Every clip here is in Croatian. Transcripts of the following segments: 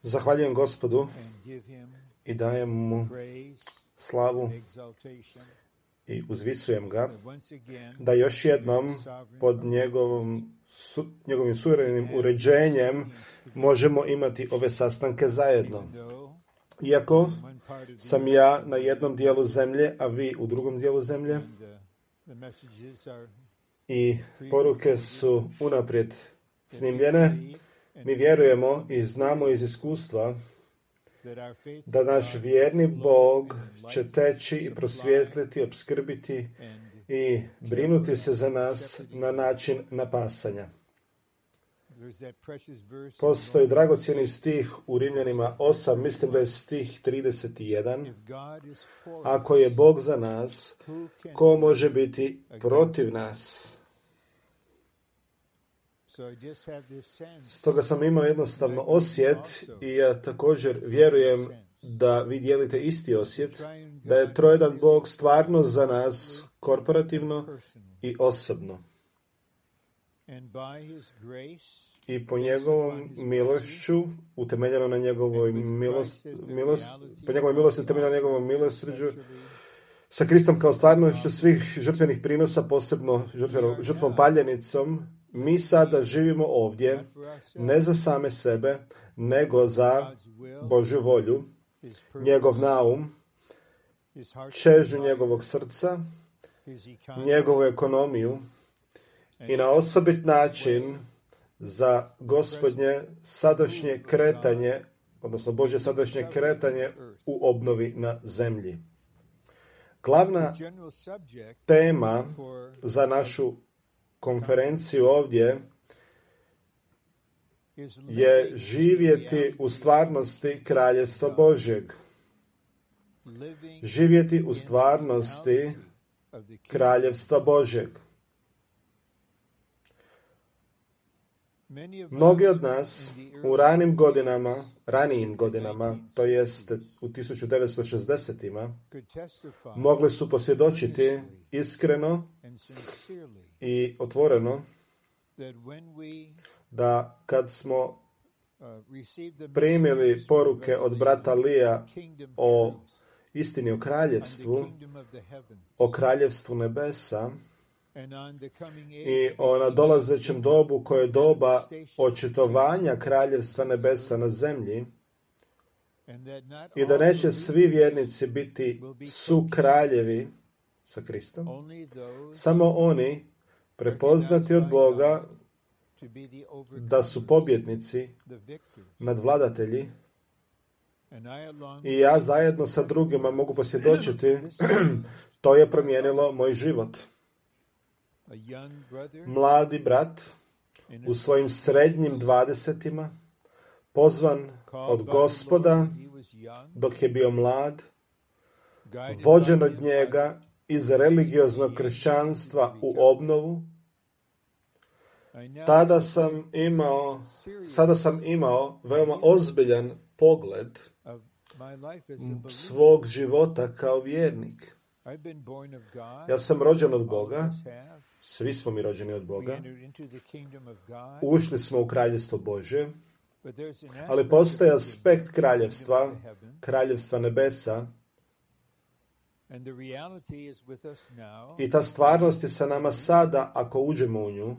Zahvaljujem Gospodu i dajem mu slavu i uzvisujem ga da još jednom pod njegovim suverenim uređenjem možemo imati ove sastanke zajedno. Iako sam ja na jednom dijelu zemlje, a vi u drugom dijelu zemlje, i poruke su unaprijed snimljene, mi vjerujemo i znamo iz iskustva da naš vjerni Bog će teći i prosvijetliti, opskrbiti i brinuti se za nas na način napasanja. Postoji dragocjeni stih u Rimljanima 8, mislim da je stih 31. Ako je Bog za nas, ko može biti protiv nas? Stoga sam imao jednostavno osjet i ja također vjerujem da vi dijelite isti osjet, da je trojedan Bog stvarno za nas korporativno i osobno. I po njegovom milošću, utemeljeno na njegovoj po njegovoj milosti, utemeljeno na njegovom milosrđu, sa Kristom kao stvarnošću svih žrtvenih prinosa, posebno žrtvom paljenicom, mi sada živimo ovdje, ne za same sebe, nego za Božju volju, njegov naum, čežnju njegovog srca, njegovu ekonomiju i na osobit način za Gospodnje sadašnje kretanje, odnosno Božje sadašnje kretanje u obnovi na zemlji. Glavna tema za našu konferenciju ovdje je živjeti u stvarnosti Kraljevstva Božjeg. Živjeti u stvarnosti Kraljevstva Božjeg. Mnogi od nas u ranijim godinama, to jest u 1960-ima, mogli su posvjedočiti iskreno i otvoreno da kad smo primili poruke od brata Lija o istini o kraljevstvu nebesa i o nadolazećem dobu koje je doba očitovanja kraljevstva nebesa na zemlji i da neće svi vjernici biti sukraljevi sa Kristom, samo oni prepoznati od Boga da su pobjednici, nadvladatelji, i ja zajedno sa drugima mogu posvjedočiti, to je promijenilo moj život. Mladi brat u svojim srednjim 20-ima, pozvan od Gospoda dok je bio mlad, vođen od njega iz religioznog kršćanstva u obnovu, sada sam imao veoma ozbiljan pogled svog života kao vjernik. Ja sam rođen od Boga, svi smo mi rođeni od Boga, ušli smo u Kraljevstvo Božje, ali postoji aspekt kraljevstva nebesa, i ta stvarnost je sa nama sada ako uđemo u nju,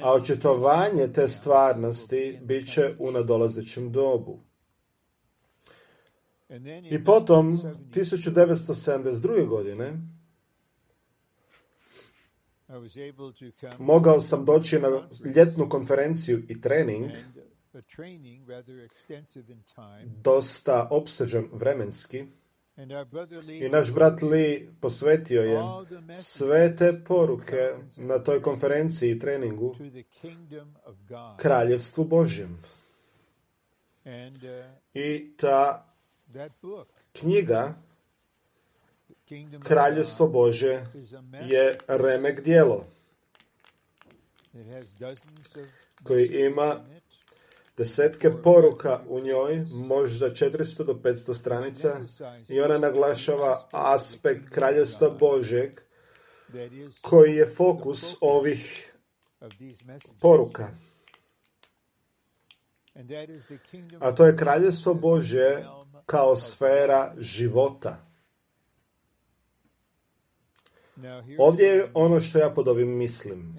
a očitovanje te stvarnosti bit će u nadolazećem dobu. I potom, 1972. godine, mogao sam doći na ljetnu konferenciju i trening, dosta opsežan vremenski, i naš brat Lee posvetio je sve te poruke na toj konferenciji i treningu Kraljevstvu Božjem. I ta knjiga Kraljevstvo Božje je remek djelo koji ima desetke poruka u njoj, možda 400 do 500 stranica, i ona naglašava aspekt Kraljevstva Božjeg koji je fokus ovih poruka. a to je kraljevstvo Božje kao sfera života. Ovdje je ono što ja pod ovim mislim.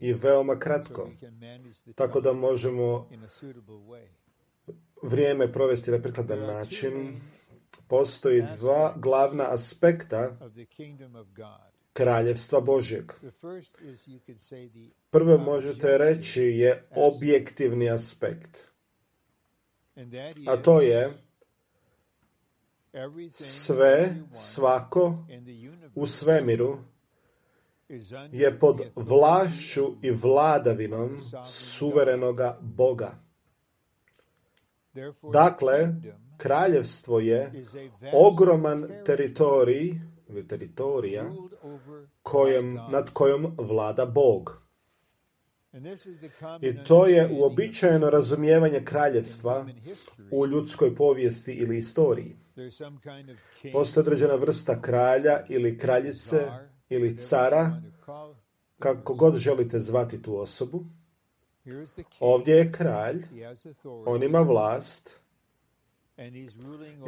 I veoma kratko, tako da možemo vrijeme provesti na prikladan način. Postoji dva glavna aspekta kraljevstva Božjeg. Prvo možete reći je objektivni aspekt. A to je sve, svako u svemiru je pod vlašću i vladavinom suverenoga Boga. Dakle, kraljevstvo je ogroman teritorij ili teritorija nad kojom vlada Bog. I to je uobičajeno razumijevanje kraljevstva u ljudskoj povijesti ili istoriji. Postoji određena vrsta kralja ili kraljice ili cara, kako god želite zvati tu osobu. Ovdje je kralj, on ima vlast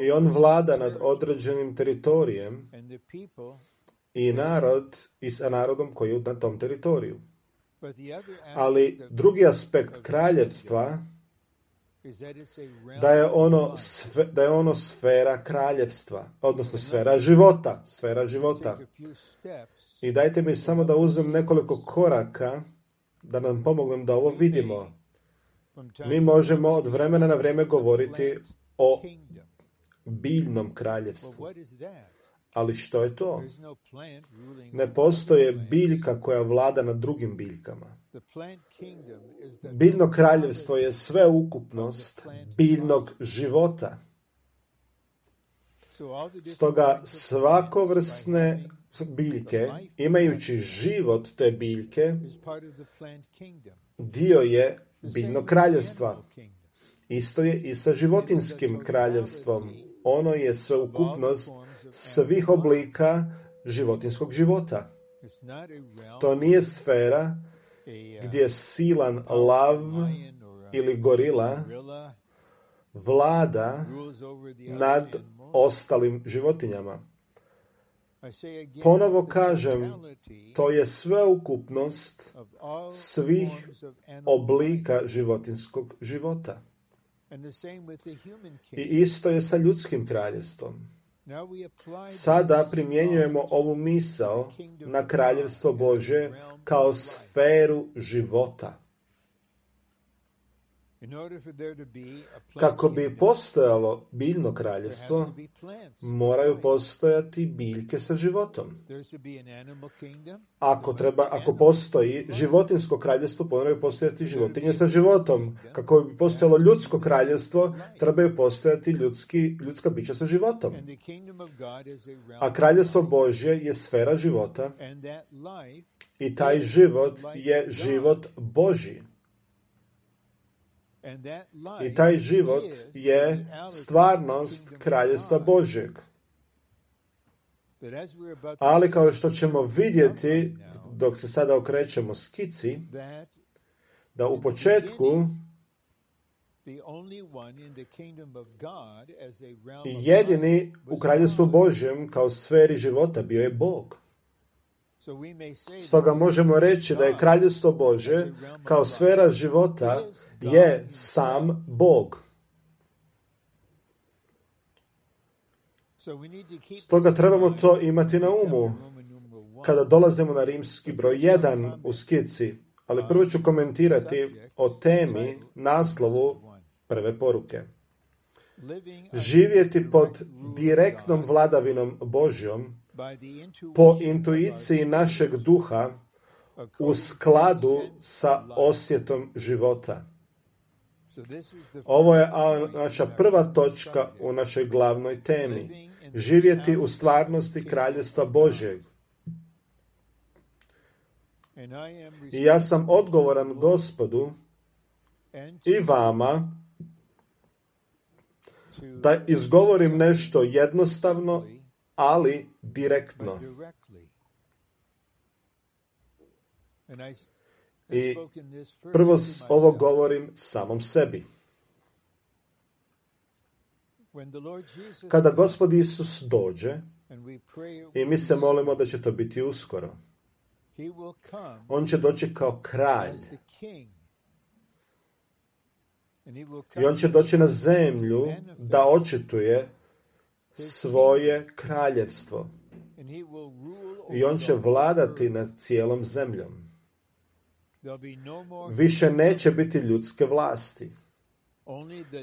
i on vlada nad određenim teritorijem i sa narodom koji je na tom teritoriju. Ali drugi aspekt kraljevstva da je ono sfera kraljevstva, odnosno sfera života. I dajte mi samo da uzmem nekoliko koraka da nam pomognem da ovo vidimo. Mi možemo od vremena na vrijeme govoriti o biljnom kraljevstvu. Ali što je to? Ne postoje biljka koja vlada nad drugim biljkama. Biljno kraljevstvo je sveukupnost biljnog života. Stoga svakovrsne biljke, imajući život te biljke, dio je biljnog kraljevstva. Isto je i sa životinjskim kraljevstvom. Ono je sveukupnost svih oblika životinjskog života. To nije sfera gdje silan lav ili gorila vlada nad ostalim životinjama. Ponovo kažem, to je sveukupnost svih oblika životinjskog života. I isto je sa ljudskim kraljevstvom. Sada primjenjujemo ovu misao na kraljevstvo Božje kao sferu života. Kako bi postojalo biljno kraljevstvo, moraju postojati biljke sa životom. Ako postoji životinjsko kraljevstvo, moraju postojati životinje sa životom. Kako bi postojalo ljudsko kraljevstvo, trebaju postojati ljudska bića sa životom. A kraljevstvo Božje je sfera života i taj život je život Božji. I taj život je stvarnost kraljevstva Božjeg. Ali kao što ćemo vidjeti dok se sada okrećemo skici, da u početku jedini u kraljevstvu Božjem kao sferi života bio je Bog. Stoga možemo reći da je kraljevstvo Božje kao sfera života je sam Bog. Stoga trebamo to imati na umu kada dolazimo na rimski broj 1 u skici, ali prvo ću komentirati o temi, naslovu prve poruke. Živjeti pod direktnom vladavinom Božjom po intuiciji našeg duha u skladu sa osjetom života. Ovo je naša prva točka u našoj glavnoj temi. Živjeti u stvarnosti kraljevstva Božjeg. I ja sam odgovoran Gospodu i vama da izgovorim nešto jednostavno, ali direktno. I prvo ovo govorim samom sebi. Kada Gospod Isus dođe, i mi se molimo da će to biti uskoro, on će doći kao kralj. I on će doći na zemlju da očituje svoje kraljevstvo. I on će vladati nad cijelom zemljom. Više neće biti ljudske vlasti.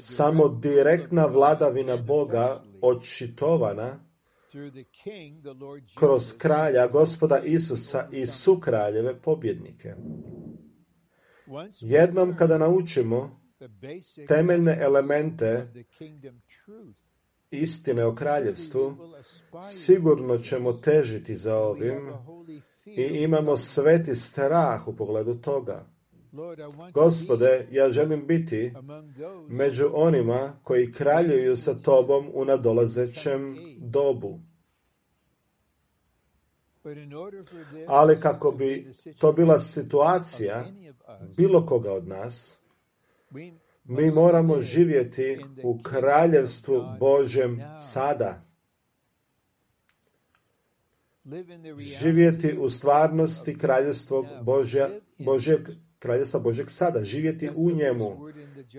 Samo direktna vladavina Boga očitovana kroz kralja, Gospoda Isusa i sukraljeve pobjednike. Jednom kada naučimo temeljne elemente istine o kraljevstvu, sigurno ćemo težiti za ovim i imamo sveti strah u pogledu toga. Gospode, ja želim biti među onima koji kraljuju sa tobom u nadolazećem dobu. Ali kako bi to bila situacija bilo koga od nas, mi moramo živjeti u kraljevstvu Božjem sada. Živjeti u stvarnosti kraljevstva Božjeg sada. Živjeti u njemu.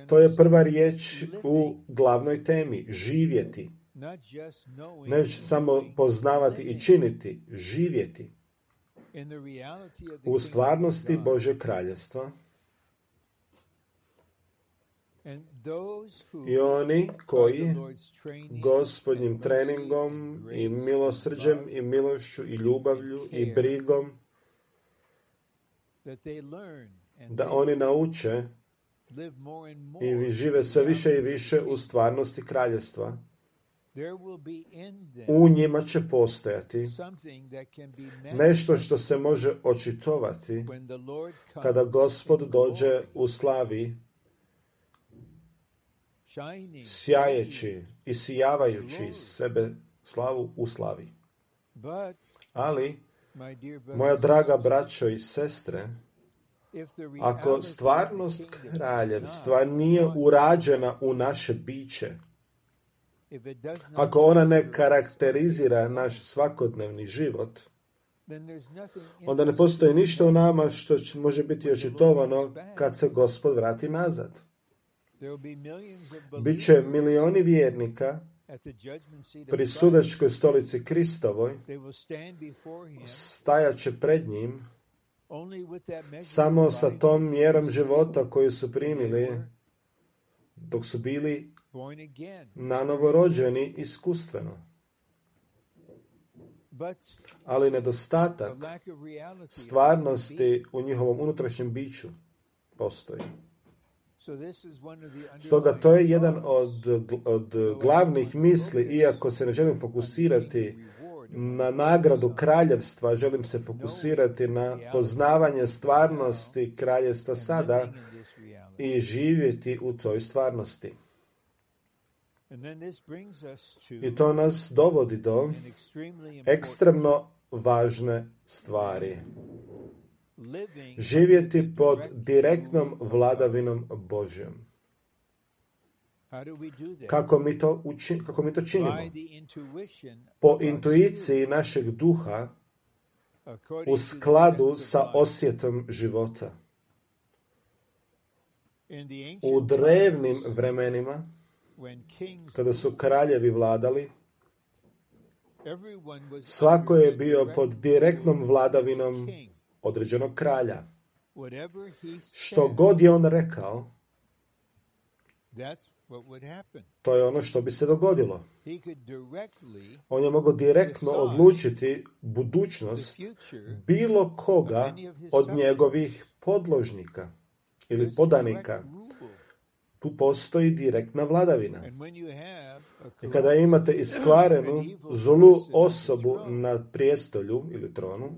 To je prva riječ u glavnoj temi. Živjeti. Ne samo poznavati i činiti. Živjeti. U stvarnosti Božjeg kraljevstva. I oni koji Gospodnjim treningom i milosrđem i milošću i ljubavlju i brigom da oni nauče i žive sve više i više u stvarnosti kraljevstva, u njima će postojati nešto što se može očitovati kada Gospod dođe u slavi, sjajeći i sijavajući sebe slavu u slavi. Ali, moja draga braćo i sestre, ako stvarnost kraljevstva nije urađena u naše biće, ako ona ne karakterizira naš svakodnevni život, onda ne postoji ništa u nama što može biti očitovano kad se Gospod vrati nazad. Biće milioni vjernika pri sudačkoj stolici Kristovoj, stajat će pred njim samo sa tom mjerom života koju su primili dok su bili nanovorođeni iskustveno. Ali nedostatak stvarnosti u njihovom unutrašnjem biću postoji. Stoga to je jedan od glavnih misli, iako se ne želim fokusirati na nagradu kraljevstva, želim se fokusirati na poznavanje stvarnosti kraljevstva sada i živjeti u toj stvarnosti. I to nas dovodi do ekstremno važne stvari. Živjeti pod direktnom vladavinom Božjom. Kako mi to činimo? Po intuiciji našeg duha u skladu sa osjetom života. U drevnim vremenima, kada su kraljevi vladali, svako je bio pod direktnom vladavinom određenog kralja. Što god je on rekao, to je ono što bi se dogodilo. On je mogao direktno odlučiti budućnost bilo koga od njegovih podložnika ili podanika. Tu postoji direktna vladavina. I kada imate iskvarenu zlu osobu na prijestolju ili tronu,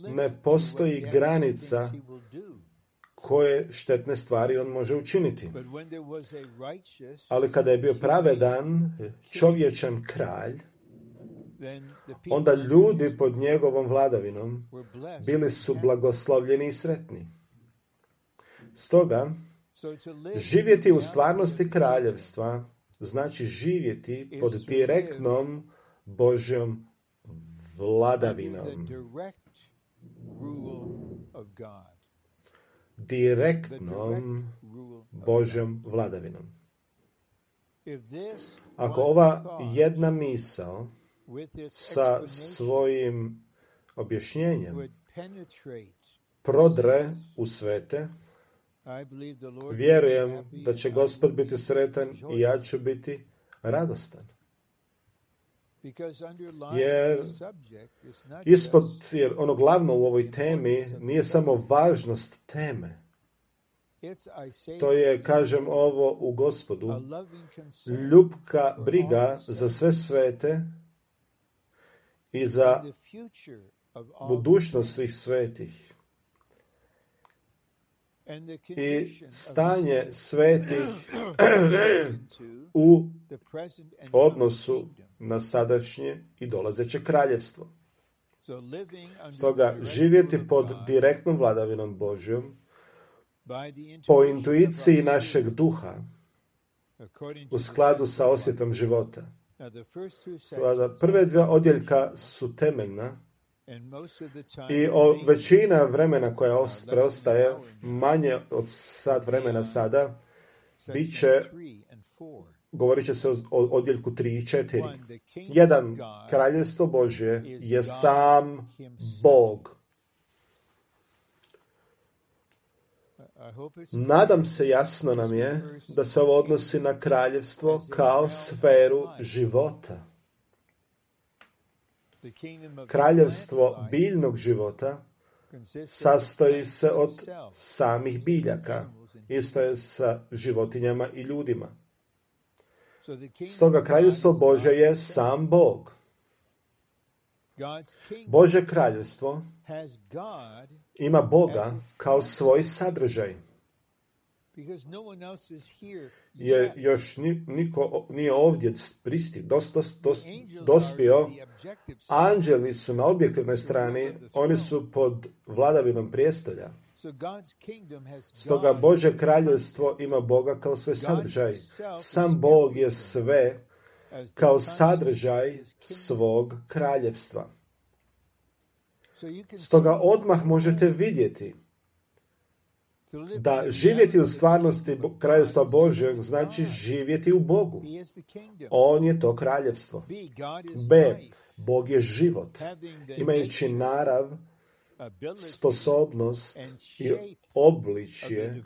ne postoji granica koje štetne stvari on može učiniti. Ali kada je bio pravedan, čovječan kralj, onda ljudi pod njegovom vladavinom bili su blagoslovljeni i sretni. Stoga, živjeti u stvarnosti kraljevstva znači živjeti pod direktnom Božjom vladavinom. Direktnom Božjom vladavinom. Ako ova jedna misao sa svojim objašnjenjem prodre u svete, vjerujem da će Gospod biti sretan i ja ću biti radostan. Jer jer ono glavno u ovoj temi nije samo važnost teme. To je, kažem ovo u Gospodu, ljubka briga za sve svete i za budućnost svih svetih. I stanje svetih u odnosu na sadašnje i dolazeće kraljevstvo. Stoga živjeti pod direktnom vladavinom Božjom, po intuiciji našeg duha, u skladu sa osjetom života. Prve dvije odjeljka su temeljna i većina vremena koja preostaje, manje od sat vremena sada, bit će, govorit će se o odjeljku 3 i 4. Jedan, kraljevstvo Božje je sam Bog. Nadam se, jasno nam je da se ovo odnosi na kraljevstvo kao sferu života. Kraljevstvo biljnog života sastoji se od samih biljaka. Isto je sa životinjama i ljudima. Stoga kraljevstvo Božje je sam Bog. Božje kraljevstvo ima Boga kao svoj sadržaj. Jer još niko nije ovdje dospio. Anđeli su na objektivnoj strani, oni su pod vladavinom prijestolja. Stoga Božje kraljevstvo ima Boga kao svoj sadržaj. Sam Bog je sve kao sadržaj svog kraljevstva. Stoga odmah možete vidjeti da živjeti u stvarnosti kraljevstva Božjeg znači živjeti u Bogu. On je to kraljevstvo. B. Bog je život. Imajući narav, sposobnost i obličje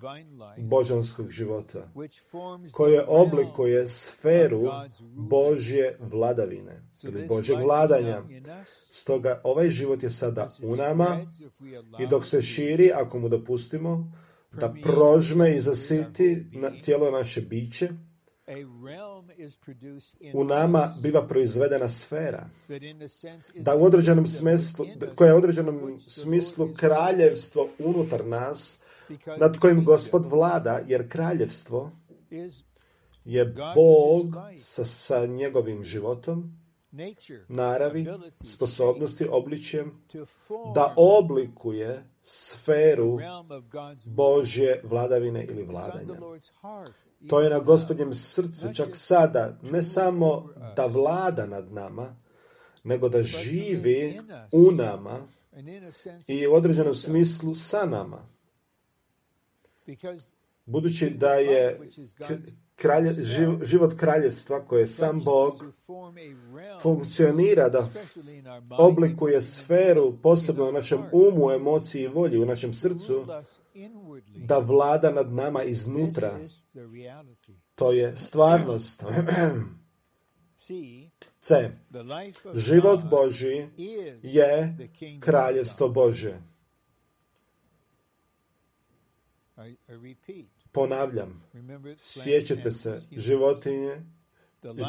božanskog života, koje oblikuje sferu Božje vladavine ili Božjeg vladanja. Stoga ovaj život je sada u nama i dok se širi, ako mu dopustimo, da prožme i zasiti na cijelo naše biće, u nama biva proizvedena sfera, da u određenom smislu, koja je u određenom smislu kraljevstvo unutar nas, nad kojim Gospod vlada, jer kraljevstvo je Bog sa njegovim životom, naravi, sposobnosti, obličjem, da oblikuje sferu Božje vladavine ili vladanja. To je na Gospodnjem srcu, čak sada, ne samo da vlada nad nama, nego da živi u nama i u određenom smislu sa nama. Budući da je život kraljevstva, koje je sam Bog, funkcionira da oblikuje sferu, posebno u našem umu, emociji i volji, u našem srcu, da vlada nad nama iznutra. To je stvarnost. C. Život Božji je kraljevstvo Božje. Ponavljam, sjećate se, životinje,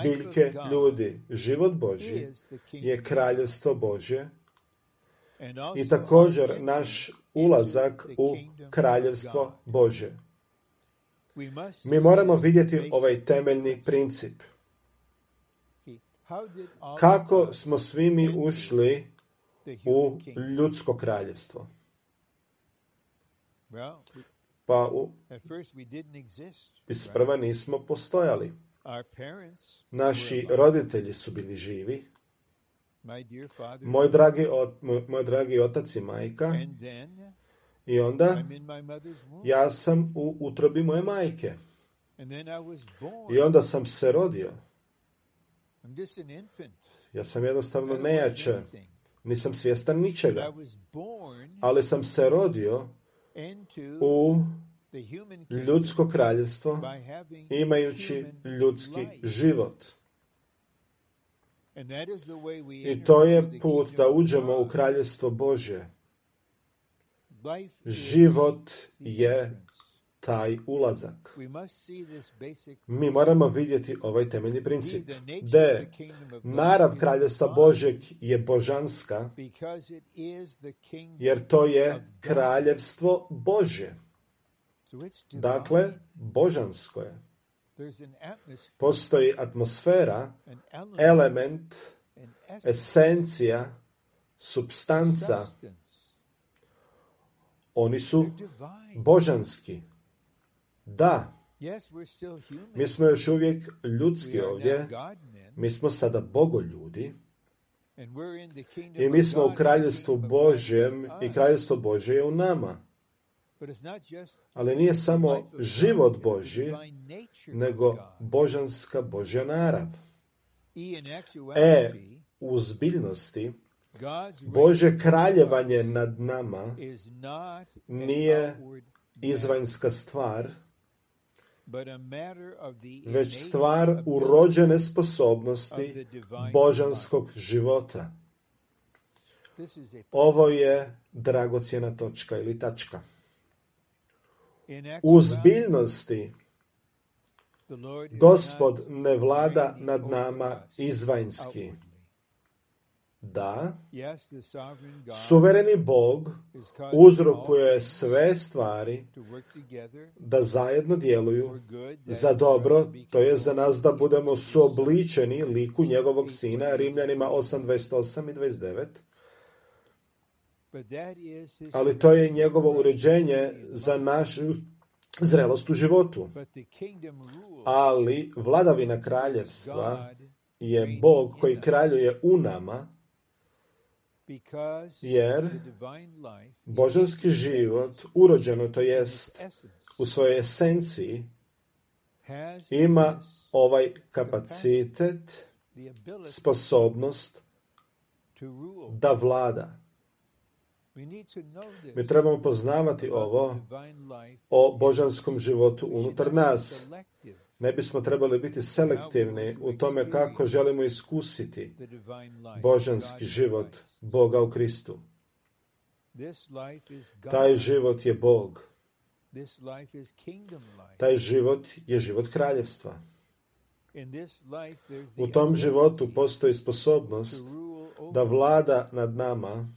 biljke, ljudi. Život Božji je kraljevstvo Božje i također naš ulazak u kraljevstvo Božje. Mi moramo vidjeti ovaj temeljni princip. Kako smo svi mi ušli u ljudsko kraljevstvo? Pa isprva nismo postojali. Naši roditelji su bili živi. Moj dragi otac i majka. I onda ja sam u utrobi moje majke. I onda sam se rodio. Ja sam jednostavno nejače. Nisam svjestan ničega. Ali sam se rodio u ljudsko kraljevstvo imajući ljudski život. I to je put da uđemo u kraljevstvo Božje. Život je taj ulazak. Mi moramo vidjeti ovaj temeljni princip. Da narav kraljevstva Božjeg je božanska, jer to je kraljevstvo Božje. Dakle, božansko je. Postoji atmosfera, element, esencija, supstanca. Oni su božanski. Da, mi smo još uvijek ljudski ovdje, mi smo sada bogoljudi i mi smo u kraljevstvu Božjem i kraljevstvo Božje je u nama. Ali nije samo život Božji, nego božanska Božja narav. U zbiljnosti, Božje kraljevanje nad nama nije izvanjska stvar, već stvar urođene sposobnosti božanskog života. Ovo je dragocjena točka ili tačka. U zbiljnosti Gospod ne vlada nad nama izvanjski. Da, suvereni Bog uzrokuje sve stvari da zajedno djeluju za dobro, to je za nas da budemo suobličeni liku njegovog sina, Rimljanima 8:28 i 29. Ali to je njegovo uređenje za našu zrelost u životu. Ali vladavina kraljevstva je Bog koji kraljuje u nama, jer božanski život, urođeno to jest u svojoj esenciji, ima ovaj kapacitet, sposobnost da vlada. Mi trebamo poznavati ovo o božanskom životu unutar nas. Ne bismo trebali biti selektivni u tome kako želimo iskusiti božanski život Boga u Kristu. Taj život je Bog. Taj život je život kraljevstva. U tom životu postoji sposobnost da vlada nad nama.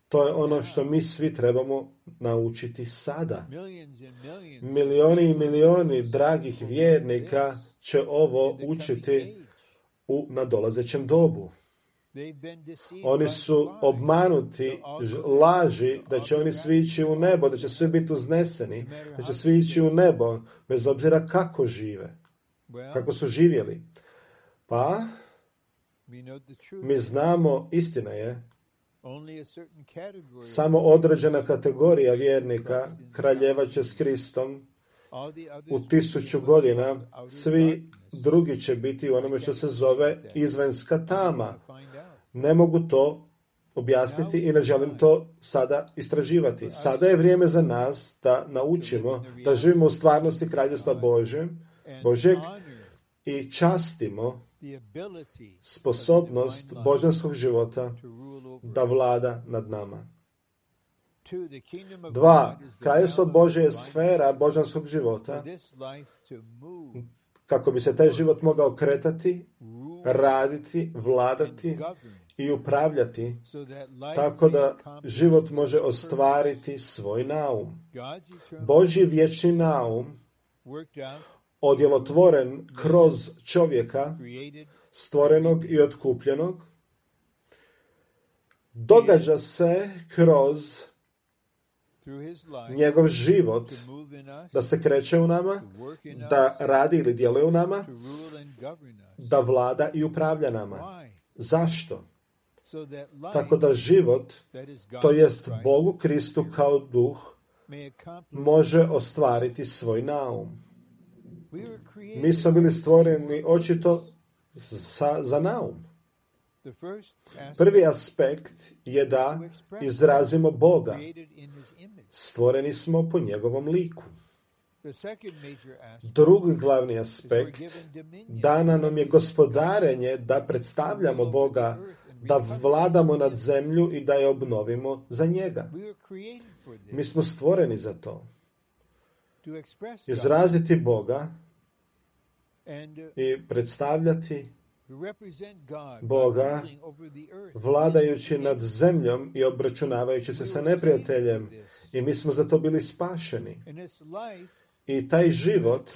To je ono što mi svi trebamo naučiti sada. Milioni i milioni dragih vjernika će ovo učiti u nadolazećem dobu. Oni su obmanuti laži da će oni svi ići u nebo, da će svi biti uzneseni, da će svi ići u nebo, bez obzira kako žive, kako su živjeli. Pa, mi znamo, istina je, samo određena kategorija vjernika kraljevat će s Kristom u 1000 godina, svi drugi će biti u onome što se zove izvanjska tama. Ne mogu to objasniti i ne želim to sada istraživati. Sada je vrijeme za nas da naučimo da živimo u stvarnosti kraljevstva Božjeg i častimo sposobnost božanskog života da vlada nad nama. 2. Kraljevstvo Božje je sfera božanskog života kako bi se taj život mogao kretati, raditi, vladati i upravljati tako da život može ostvariti svoj naum. Božji vječni naum odjelotvoren kroz čovjeka, stvorenog i otkupljenog, događa se kroz njegov život da se kreće u nama, da radi ili djeluje u nama, da vlada i upravlja nama. Zašto? Tako da život, to jest Bogu Kristu kao duh, može ostvariti svoj naum. Mi smo bili stvoreni očito za naum. Prvi aspekt je da izrazimo Boga. Stvoreni smo po njegovom liku. Drugi glavni aspekt, dana nam je gospodarenje da predstavljamo Boga, da vladamo nad zemlju i da je obnovimo za njega. Mi smo stvoreni za to. Izraziti Boga i predstavljati Boga vladajući nad zemljom i obračunavajući se sa neprijateljem. I mi smo za to bili spašeni. I taj život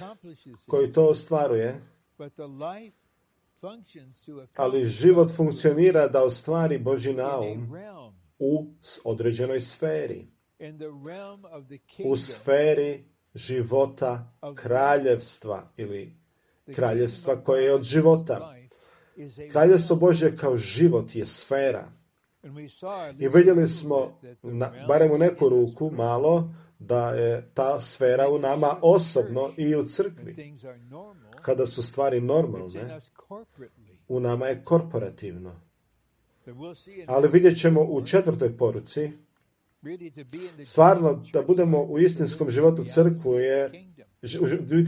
koji to ostvaruje, ali život funkcionira da ostvari Božji naum u određenoj sferi. U sferi života kraljevstva ili kraljevstva koje je od života. Kraljevstvo Božje kao život je sfera. I vidjeli smo, barem u neku ruku, malo, da je ta sfera u nama osobno i u crkvi. Kada su stvari normalne, u nama je korporativno. Ali vidjet ćemo u 4. poruci, stvarno da budemo u istinskom životu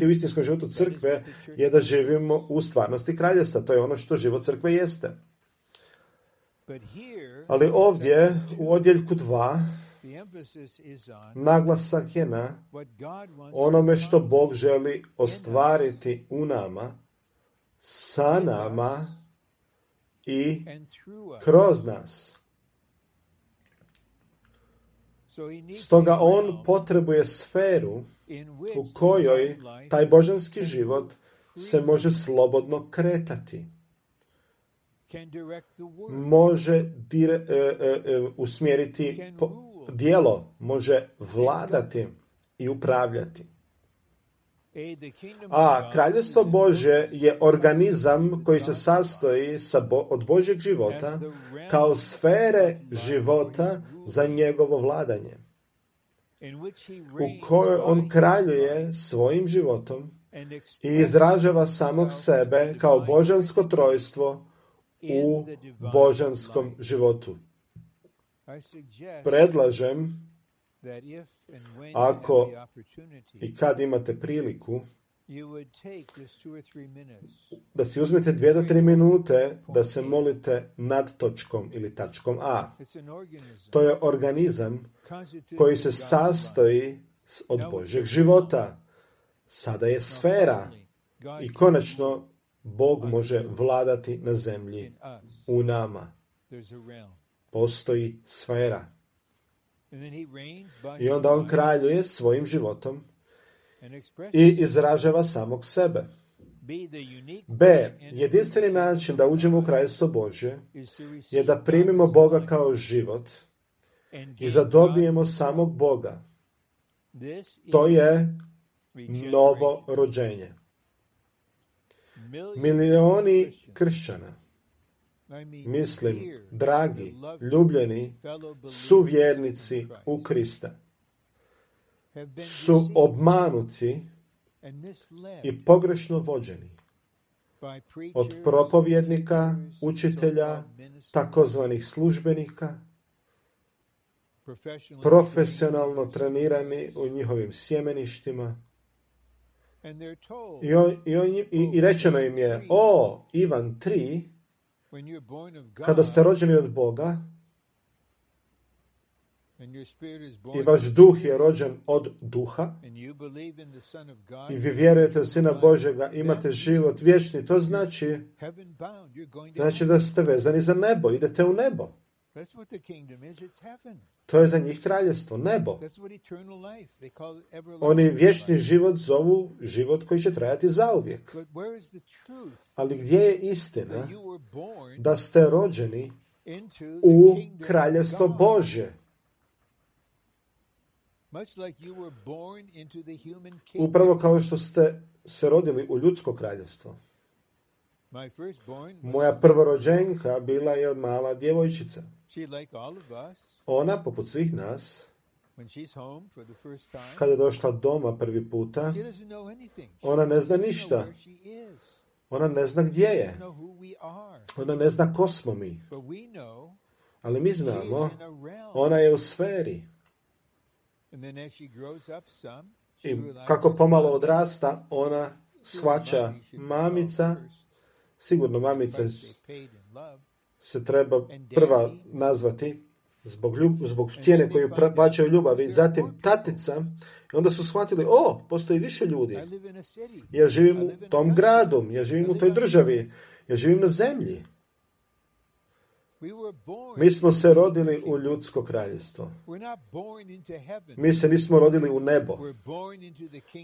u istinskom životu crkve je da živimo u stvarnosti kraljevstva. To je ono što život crkve jeste. Ali ovdje, u odjeljku 2, naglasak je na onome što Bog želi ostvariti u nama, sa nama i kroz nas. Stoga on potrebuje sferu u kojoj taj božanski život se može slobodno kretati. Može usmjeriti djelo, može vladati i upravljati. A kraljevstvo Božje je organizam koji se sastoji od Božjeg života kao sfere života za njegovo vladanje, u kojoj on kraljuje svojim životom i izražava samog sebe kao božansko trojstvo u božanskom životu. Predlažem, ako i kad imate priliku, da si uzmete 2 do 3 minute da se molite nad točkom ili tačkom A. To je organizam koji se sastoji od Božjeg života. Sada je sfera i konačno Bog može vladati na zemlji u nama. Postoji sfera. I onda on kraljuje svojim životom i izražava samog sebe. B. Jedinstveni način da uđemo u kraljevstvo Božje je da primimo Boga kao život i zadobijemo samog Boga. To je novo rođenje. Milioni kršćana, mislim, dragi, ljubljeni, suvjernici u Krista, su obmanuti i pogrešno vođeni od propovjednika, učitelja, takozvanih službenika, profesionalno trenirani u njihovim sjemeništima. I rečeno im je, Ivan 3, kada ste rođeni od Boga i vaš duh je rođen od duha i vi vjerujete u Sina Božjega, imate život vječni, to znači da ste vezani za nebo, idete u nebo. To je za njih kraljevstvo, nebo. Oni vječni život zovu život koji će trajati zauvijek. Ali gdje je istina da ste rođeni u kraljevstvo Božje? Upravo kao što ste se rodili u ljudsko kraljevstvo. Moja prvorođenka bila je mala djevojčica. Ona, poput svih nas, kada je došla doma prvi puta, ona ne zna ništa. Ona ne zna gdje je. Ona ne zna ko smo mi. Ali mi znamo, ona je u sferi. I kako pomalo odrasta, ona shvaća mamica, sigurno mamica se treba prva nazvati zbog cijene koju plaćaju ljubavi, zatim tatica, i onda su shvatili, postoji više ljudi. Ja živim u tom gradu, ja živim u toj državi, ja živim na zemlji. Mi smo se rodili u ljudsko kraljevstvo. Mi se nismo rodili u nebo.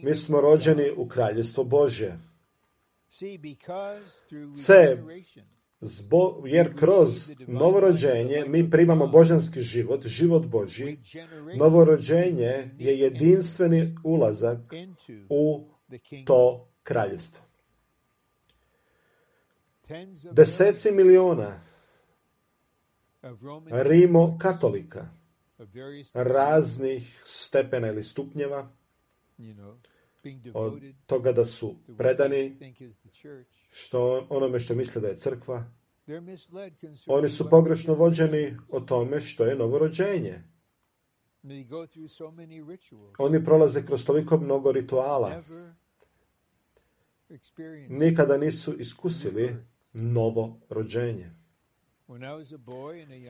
Mi smo rođeni u kraljevstvo Božje. Jer kroz novorođenje mi primamo božanski život, život Božji. Novorođenje je jedinstveni ulazak u to kraljevstvo. Deseci miliona Rimokatolika raznih stepena ili stupnjeva, od toga da su predani onome što misle da je crkva, oni su pogrešno vođeni o tome što je novorođenje. Oni prolaze kroz toliko mnogo rituala. Nikada nisu iskusili novo rođenje.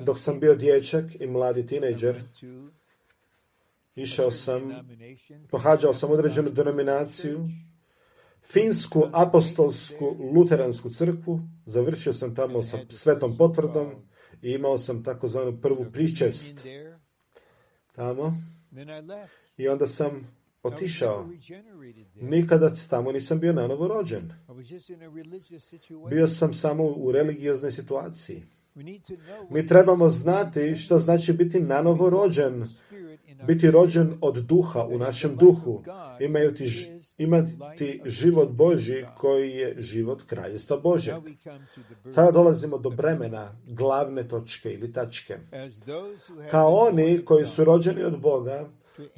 Dok sam bio dječak i mladi tinejdžer, pohađao sam određenu denominaciju, Finsku apostolsku luteransku crkvu, završio sam tamo sa svetom potvrdom i imao sam takozvanu prvu pričest tamo. I onda sam otišao. Nikada tamo nisam bio nanovo rođen. Bio sam samo u religioznoj situaciji. Mi trebamo znati što znači biti nanovo rođen, biti rođen od duha u našem duhu, imati život Božji koji je život kraljevstva Božjeg. Sada dolazimo do bremena, glavne točke ili tačke. Kao oni koji su rođeni od Boga,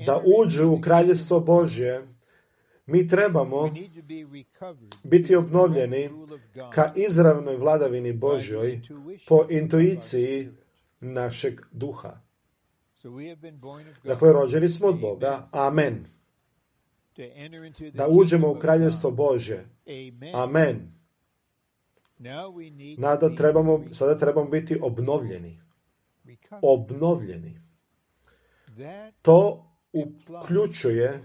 da uđu u kraljevstvo Božje, mi trebamo biti obnovljeni ka izravnoj vladavini Božjoj po intuiciji našeg duha. Dakle, rođeni smo od Boga. Amen. Da uđemo u kraljevstvo Božje. Amen. Sada trebamo biti obnovljeni. Obnovljeni. To uključuje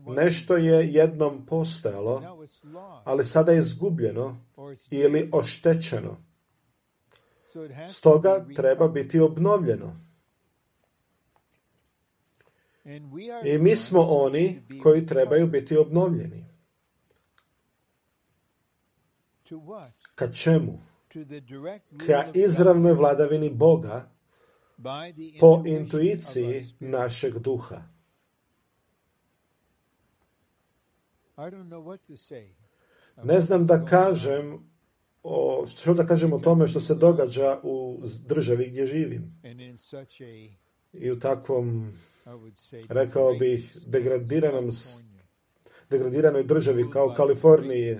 nešto je jednom postojalo, ali sada je izgubljeno ili oštećeno. Stoga treba biti obnovljeno. I mi smo oni koji trebaju biti obnovljeni. Ka čemu? Ka izravnoj vladavini Boga po intuiciji našeg duha. Ne znam što da kažem o tome što se događa u državi gdje živim. I u takvom, rekao bih, degradiranoj državi kao Kaliforniji,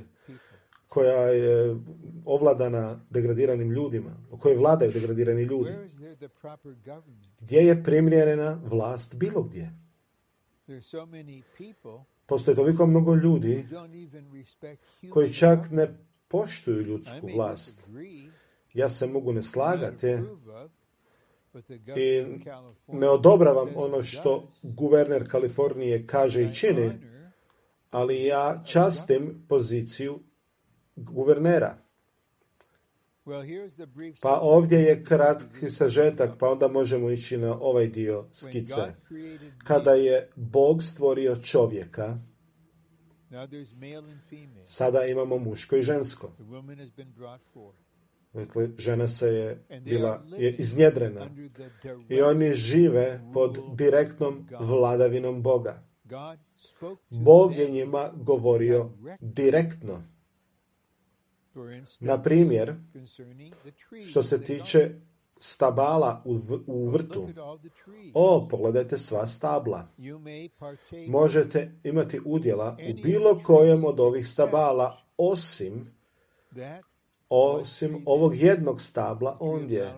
koja je ovladana degradiranim ljudima, u kojoj vladaju degradirani ljudi. Gdje je primjerena vlast bilo gdje? Postoji toliko mnogo ljudi koji čak ne poštuju ljudsku vlast. Ja se mogu ne slagati i ne odobravam ono što guverner Kalifornije kaže i čini, ali ja častim poziciju guvernera. Pa ovdje je kratki sažetak, pa onda možemo ići na ovaj dio skice. Kada je Bog stvorio čovjeka, sada imamo muško i žensko. Dakle, žena je iznjedrena i oni žive pod direktnom vladavinom Boga. Bog je njima govorio direktno. Na primjer, što se tiče stabala u vrtu. Pogledajte sva stabla. Možete imati udjela u bilo kojem od ovih stabala, osim ovog jednog stabla ondje.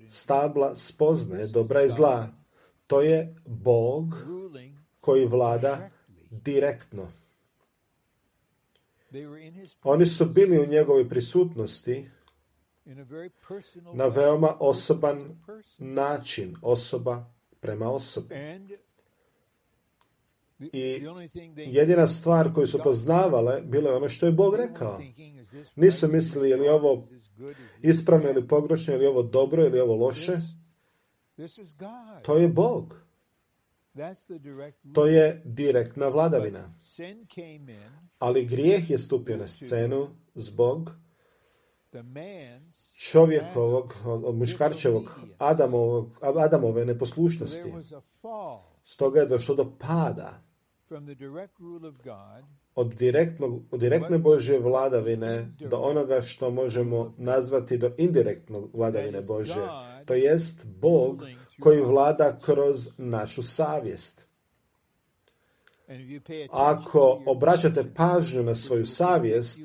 Stabla spoznaje dobra i zla. To je Bog koji vlada direktno. Oni su bili u njegovoj prisutnosti na veoma osoban način, osoba prema osobi. I jedina stvar koju su poznavale bilo je ono što je Bog rekao. Nisu mislili je li ovo ispravno ili pogrešno, ili ovo dobro ili ovo loše. To je Bog. To je direktna vladavina. Ali grijeh je stupio na scenu zbog čovjekovog, muškarčevog, Adamove neposlušnosti. Stoga je došlo do pada od direktne Božje vladavine do onoga što možemo nazvati do indirektnog vladavine Božje. To jest Bog koji vlada kroz našu savjest. Ako obraćate pažnju na svoju savjest,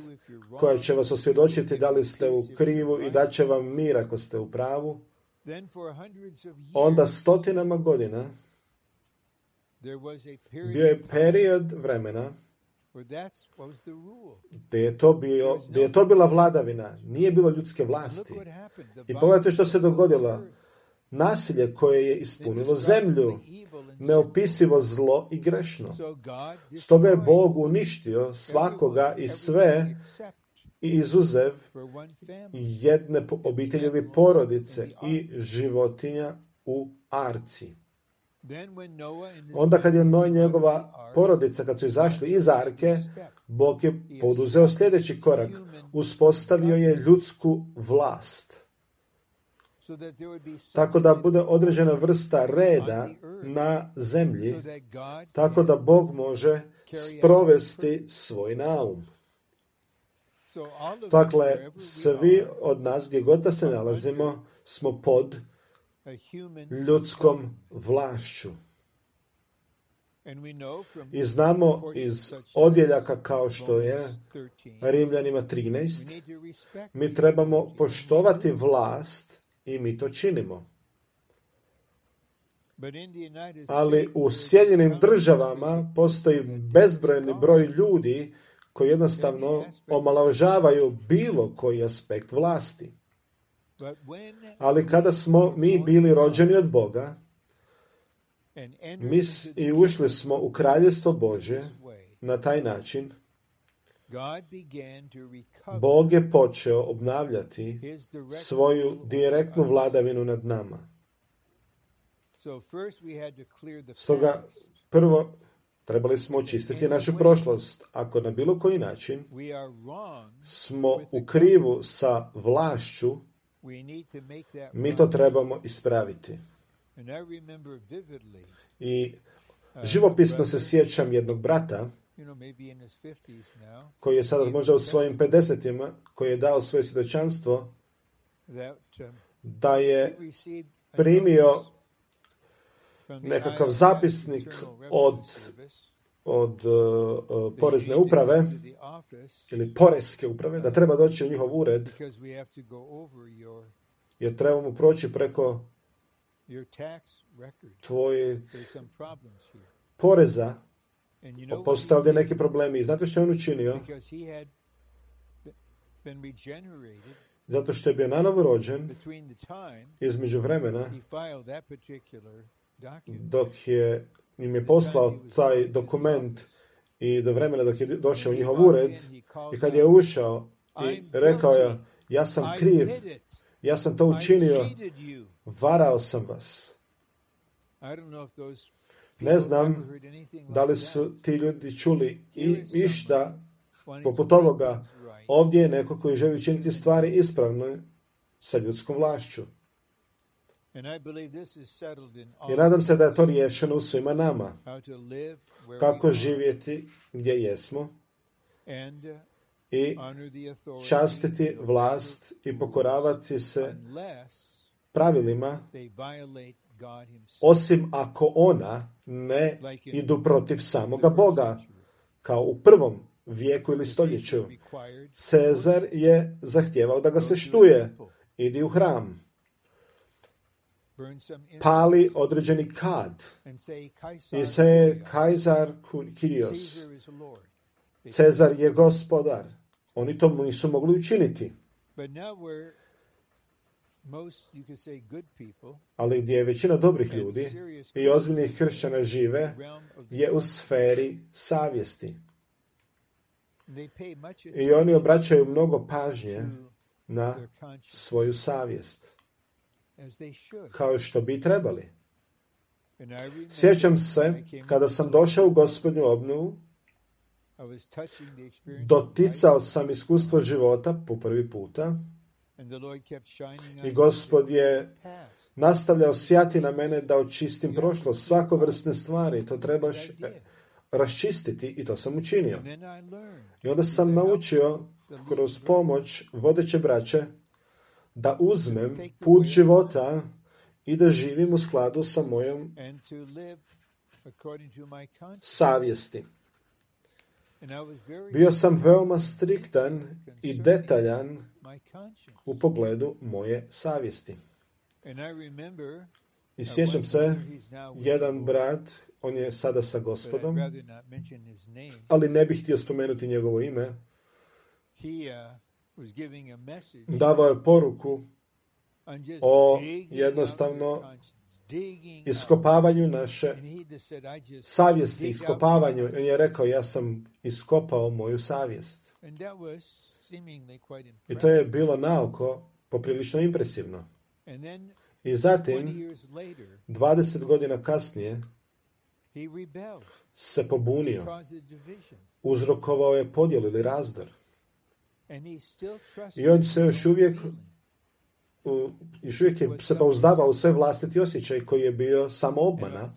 koja će vas osvjedočiti da li ste u krivu i da će vam mir ako ste u pravu, onda stotinama godina bio je period vremena gdje je to bila vladavina, nije bilo ljudske vlasti. I pogledajte što se dogodilo. Nasilje koje je ispunilo zemlju, neopisivo zlo i grešno. Stoga je Bog uništio svakoga i sve i izuzev jedne obitelji ili porodice i životinja u arci. Onda kad je Noj i njegova porodica, kad su izašli iz arke, Bog je poduzeo sljedeći korak. Uspostavio je ljudsku vlast. Tako da bude određena vrsta reda na zemlji, tako da Bog može sprovesti svoj naum. Dakle, svi od nas, gdje god da se nalazimo, smo pod ljudskom vlašću. I znamo iz odjeljaka kao što je Rimljanima 13, mi trebamo poštovati vlast i mi to činimo. Ali u Sjedinjenim državama postoji bezbrojni broj ljudi koji jednostavno omalovažavaju bilo koji aspekt vlasti. Ali kada smo mi bili rođeni od Boga i ušli smo u Kraljevstvo Božje na taj način, Bog je počeo obnavljati svoju direktnu vladavinu nad nama. Stoga prvo trebali smo očistiti našu prošlost. Ako na bilo koji način smo u krivu sa vlašću, mi to trebamo ispraviti. I živopisno se sjećam jednog brata koji je sada možda u svojim 50-ima, koji je dao svoje svjedočanstvo da je primio nekakav zapisnik od porezne uprave ili poreske uprave, da treba doći u njihov ured jer trebamo proći preko tvojeg poreza. Postoje ovdje neki problemi. I znate što je on učinio? Zato što je bio nanovo rođen između vremena dok im je poslao taj dokument i do vremena dok je došao u njihov ured i kad je ušao i rekao je, ja sam kriv, ja sam to učinio, varao sam vas. Ne znam da li su ti ljudi čuli išta poput ovoga. Ovdje je neko koji želi učiniti stvari ispravno sa ljudskom vlašću. I nadam se da je to riješeno u svima nama. Kako živjeti gdje jesmo i častiti vlast i pokoravati se pravilima, osim ako ona ne idu protiv samoga Boga, kao u prvom vijeku ili stoljeću. Cezar je zahtijevao da ga se štuje. Idi u hram. Pali određeni kad i se Kajzar Kyrios. Cezar je gospodar. Oni to nisu mogli učiniti. Ali gdje je većina dobrih ljudi i ozbiljnih kršćana žive je u sferi savjesti. I oni obraćaju mnogo pažnje na svoju savjest, kao što bi trebali. Sjećam se, kada sam došao u Gospodnju obnovu, doticao sam iskustvo života po prvi puta i Gospod je nastavljao sjati na mene da očistim prošlost, svakovrsne stvari, to trebaš raščistiti i to sam učinio. I onda sam naučio kroz pomoć vodeće braće da uzmem put života i da živim u skladu sa mojom savjesti. Bio sam veoma striktan i detaljan u pogledu moje savjesti. I sjećam se, jedan brat, on je sada sa Gospodom, ali ne bih htio spomenuti njegovo ime, davao je poruku o jednostavno iskopavanju naše savjesti, iskopavanju. On je rekao, ja sam iskopao moju savjest. I to je bilo naoko poprilično impresivno. I zatim, 20 godina kasnije, se pobunio. Uzrokovao je podjelu ili razdor. I on se još uvijek je se pouzdavao u svoj vlastiti osjećaj koji je bio samo obmana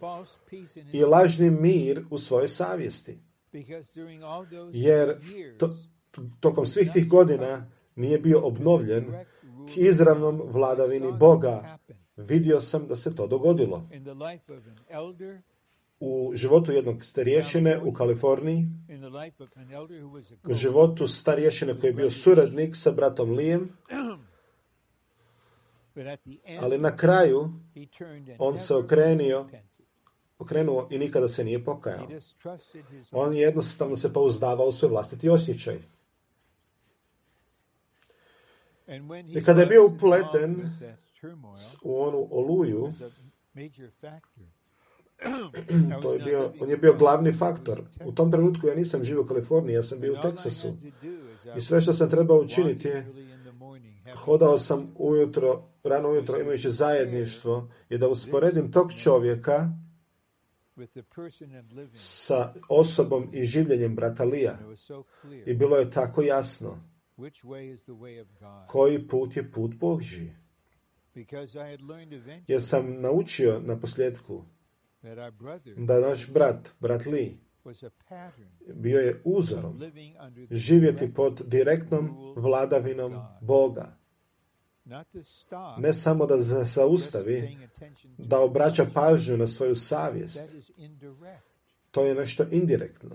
i lažni mir u svojoj savjesti. Jer tokom svih tih godina nije bio obnovljen k izravnom vladavini Boga. Vidio sam da se to dogodilo. U životu jednog starješine u Kaliforniji, u životu starješine koji je bio suradnik sa bratom Lijem, ali na kraju on se okrenuo i nikada se nije pokajao. On jednostavno se pouzdavao u svoj vlastiti osjećaj. I kada je bio upleten u onu oluju, on je bio glavni faktor. U tom trenutku ja nisam živio u Kaliforniji, ja sam bio u Teksasu. I sve što sam trebao učiniti je, hodao sam rano ujutro imajući zajedništvo i da usporedim tog čovjeka sa osobom i življenjem brata Lija. I bilo je tako jasno koji put je put Božji. Jer sam naučio na posljedku da naš brat Lee, bio je uzorom živjeti pod direktnom vladavinom Boga. Ne samo da se zaustavi, da obraća pažnju na svoju savjest. To je nešto indirektno.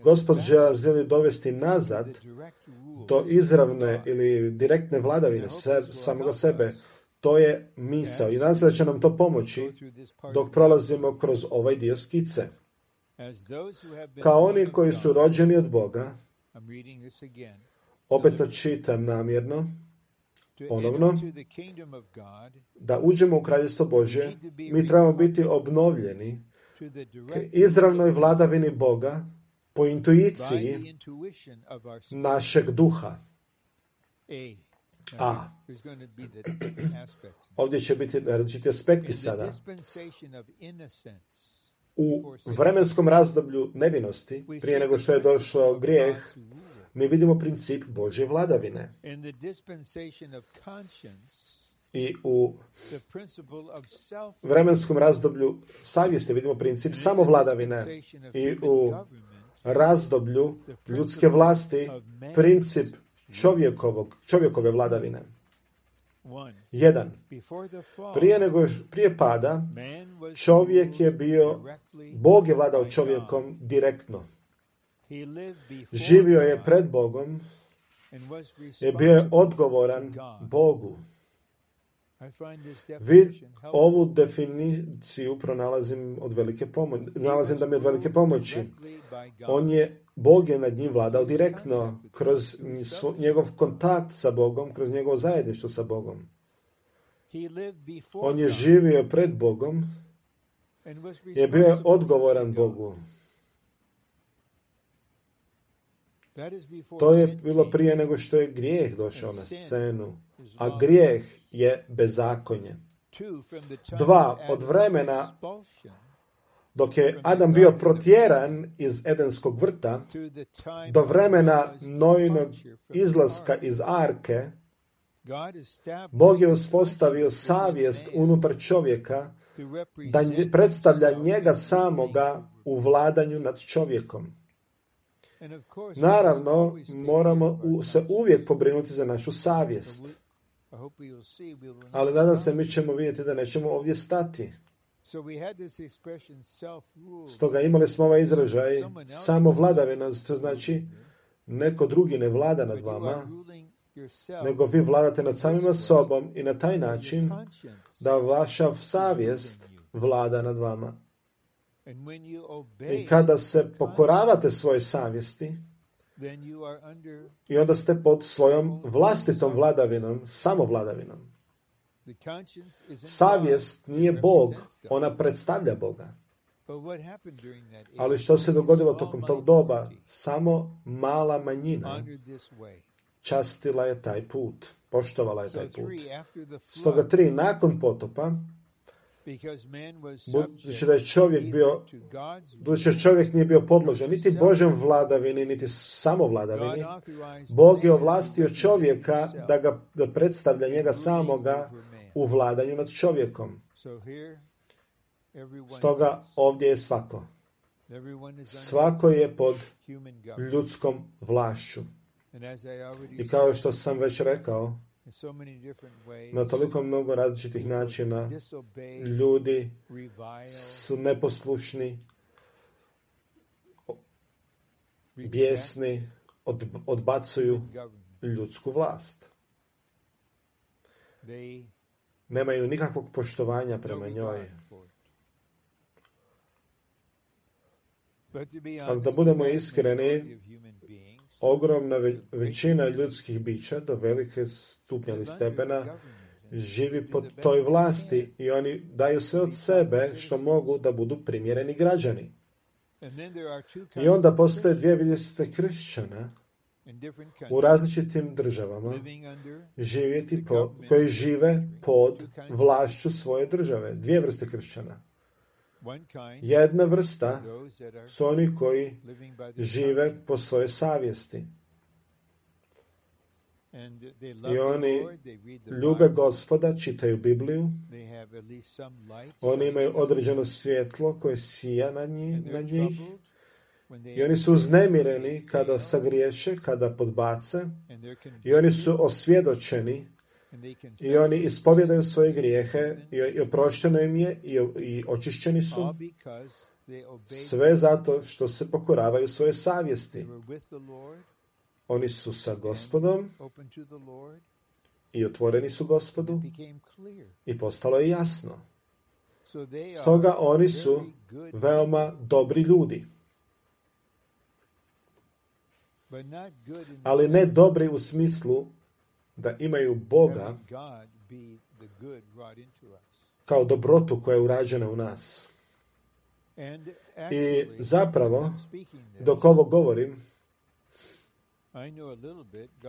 Gospod želi dovesti nazad do izravne ili direktne vladavine samoga sebe. To je misao i nadam se da će nam to pomoći dok prolazimo kroz ovaj dio skice. Kao oni koji su rođeni od Boga, opet to čitam namjerno, ponovno, da uđemo u Kraljevstvo Božje, mi trebamo biti obnovljeni k izravnoj vladavini Boga po intuiciji našeg duha. Ovdje će biti različiti aspekti sada. U vremenskom razdoblju nevinosti, prije nego što je došao grijeh, mi vidimo princip Božje vladavine. I u vremenskom razdoblju savjesti vidimo princip samovladavine. I u razdoblju ljudske vlasti princip čovjekove vladavine. 1. Prije pada, čovjek je bio, Bog je vladao čovjekom direktno. Živio je pred Bogom i bio je odgovoran Bogu. Ovu definiciju pronalazim nalazim da mi je od velike pomoći. Bog je nad njim vladao direktno, kroz njegov kontakt sa Bogom, kroz njegovo zajedništvo sa Bogom. On je živio pred Bogom i bio je odgovoran Bogu. To je bilo prije nego što je grijeh došao na scenu, a grijeh je bezakonje. 2. Od vremena dok je Adam bio protjeran iz Edenskog vrta, do vremena Noinog izlaska iz arke, Bog je uspostavio savjest unutar čovjeka da predstavlja njega samoga u vladanju nad čovjekom. Naravno, moramo se uvijek pobrinuti za našu savjest. Ali nadam se mi ćemo vidjeti da nećemo ovdje stati. Stoga imali smo ovaj izražaj samovladavina, to znači neko drugi ne vlada nad vama, nego vi vladate nad samima sobom i na taj način da vaša savjest vlada nad vama. I kada se pokoravate svoje savjesti, i onda ste pod svojom vlastitom vladavinom, samovladavinom. Savjest nije Bog, ona predstavlja Boga. Ali što se dogodilo tokom tog doba? Samo mala manjina častila je taj put, poštovala je taj put. Stoga 3, nakon potopa, budući da je čovjek nije bio podložen niti Božjem vladavini, niti samovladavini, Bog je ovlastio čovjeka da predstavlja njega samoga u vladanju nad čovjekom. Stoga ovdje je svako. Svako je pod ljudskom vlašću. I kao što sam već rekao, na toliko mnogo različitih načina ljudi su neposlušni, bijesni, odbacuju ljudsku vlast. Nemaju nikakvog poštovanja prema njoj. Ali da budemo iskreni, ogromna većina ljudskih bića do velike stupnja ili stepena živi pod toj vlasti i oni daju sve od sebe što mogu da budu primjereni građani. I onda postoje dvije vrste kršćana u različitim državama koji žive pod vlašću svoje države. Dvije vrste kršćana. Jedna vrsta su oni koji žive po svojoj savjesti. I oni ljube Gospoda, čitaju Bibliju, oni imaju određeno svjetlo koje sija na njih i oni su uznemireni kada sagriješe, kada podbace i oni su osvjedočeni i oni ispovjedaju svoje grijehe i oprošteno im je i očišćeni su, sve zato što se pokoravaju svoje savjesti. Oni su sa Gospodom i otvoreni su Gospodu i postalo je jasno. Stoga oni su veoma dobri ljudi. Ali ne dobri u smislu da imaju Boga kao dobrotu koja je urađena u nas. I zapravo, dok ovo govorim,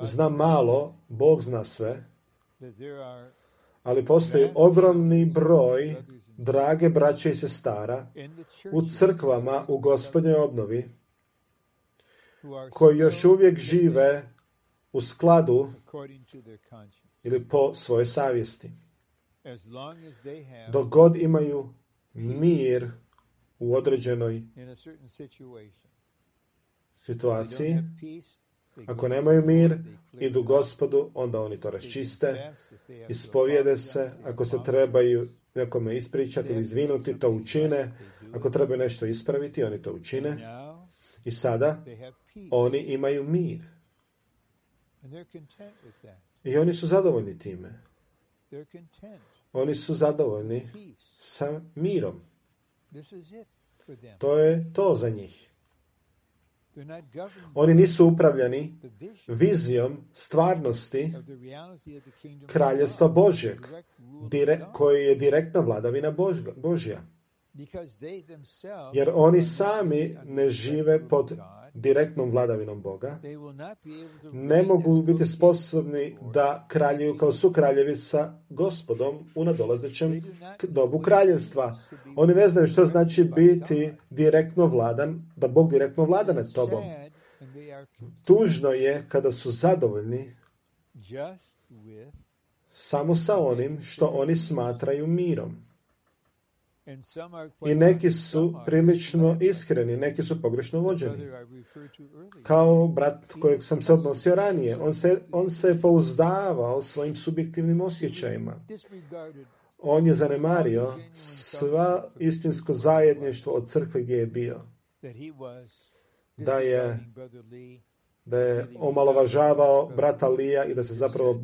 znam malo, Bog zna sve, ali postoji ogromni broj drage braće i sestara u crkvama u Gospodnjoj obnovi koji još uvijek žive u skladu ili po svojoj savjesti. Dok god imaju mir u određenoj situaciji, ako nemaju mir, idu Gospodu, onda oni to raščiste, ispovijede se, ako se trebaju nekome ispričati ili izvinuti, to učine, ako trebaju nešto ispraviti, oni to učine. I sada oni imaju mir. I oni su zadovoljni time. Oni su zadovoljni sa mirom. To je to za njih. Oni nisu upravljani vizijom stvarnosti kraljevstva Božjeg, koji je direktna vladavina Božja. Jer oni sami ne žive pod direktnom vladavinom Boga, ne mogu biti sposobni da kraljuju kao sukraljevi sa Gospodom u nadolazećem dobu kraljevstva. Oni ne znaju što znači biti direktno vladan, da Bog direktno vlada nad tobom. Tužno je kada su zadovoljni samo sa onim što oni smatraju mirom. I neki su prilično iskreni, neki su pogrešno vođeni. Kao brat kojeg sam se odnosio ranije, on se pouzdavao svojim subjektivnim osjećajima. On je zanemario sva istinsko zajedništvo od crkve gdje je bio. Da je omalovažavao brata Lija i da se zapravo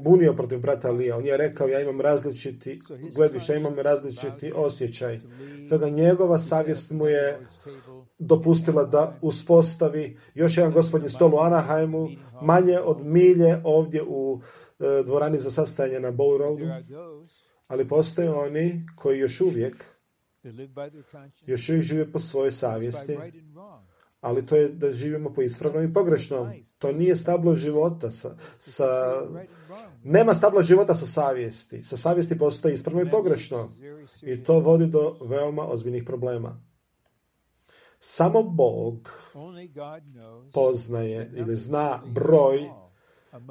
bunio protiv brata Lija. On je rekao, ja imam različiti gledišta, imam različiti osjećaj. Toga njegova savjest mu je dopustila da uspostavi još jedan gospodnji stol u Anaheimu, manje od milje ovdje u dvorani za sastajanje na Bowl Roadu. Ali postoje oni koji još uvijek žive po svojoj savjesti. Ali to je da živimo po ispravnom i pogrešnom. To nije stablo života. Nema stabla života sa savjesti. Sa savjesti postoji ispravno i pogrešno. I to vodi do veoma ozbiljnih problema. Samo Bog poznaje ili zna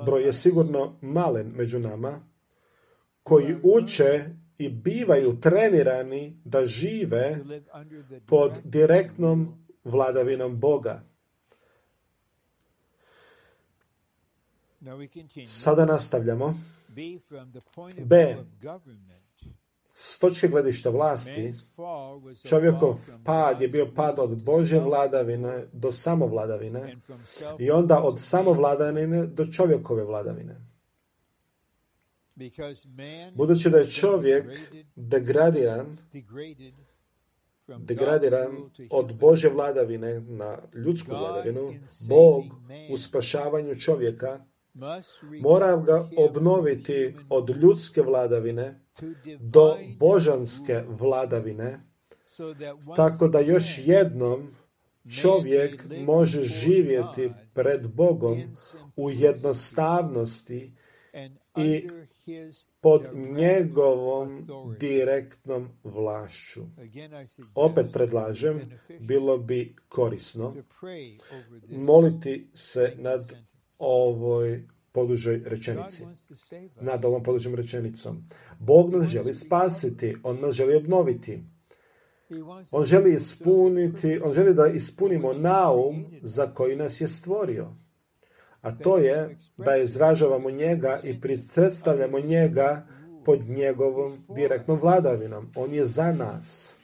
broj je sigurno malen među nama, koji uče i bivaju trenirani da žive pod direktnom vladavinom Boga. Sada nastavljamo. B. S točke gledišta vlasti, čovjekov pad je bio pad od Božje vladavine do samovladavine i onda od samovladavine do čovjekove vladavine. Budući da je čovjek degradiran od Božje vladavine na ljudsku vladavinu, Bog u spašavanju čovjeka mora ga obnoviti od ljudske vladavine do božanske vladavine, tako da još jednom čovjek može živjeti pred Bogom u jednostavnosti i pod njegovom direktnom vlašću. Opet predlažem, bilo bi korisno moliti se nad ovoj podužoj rečenici. Nad ovom podužom rečenicom. Bog nas želi spasiti, on nas želi obnoviti. On želi da ispunimo naum za koji nas je stvorio. A to je da izražavamo njega i predstavljamo njega pod njegovom direktnom vladavinom. On je za nas.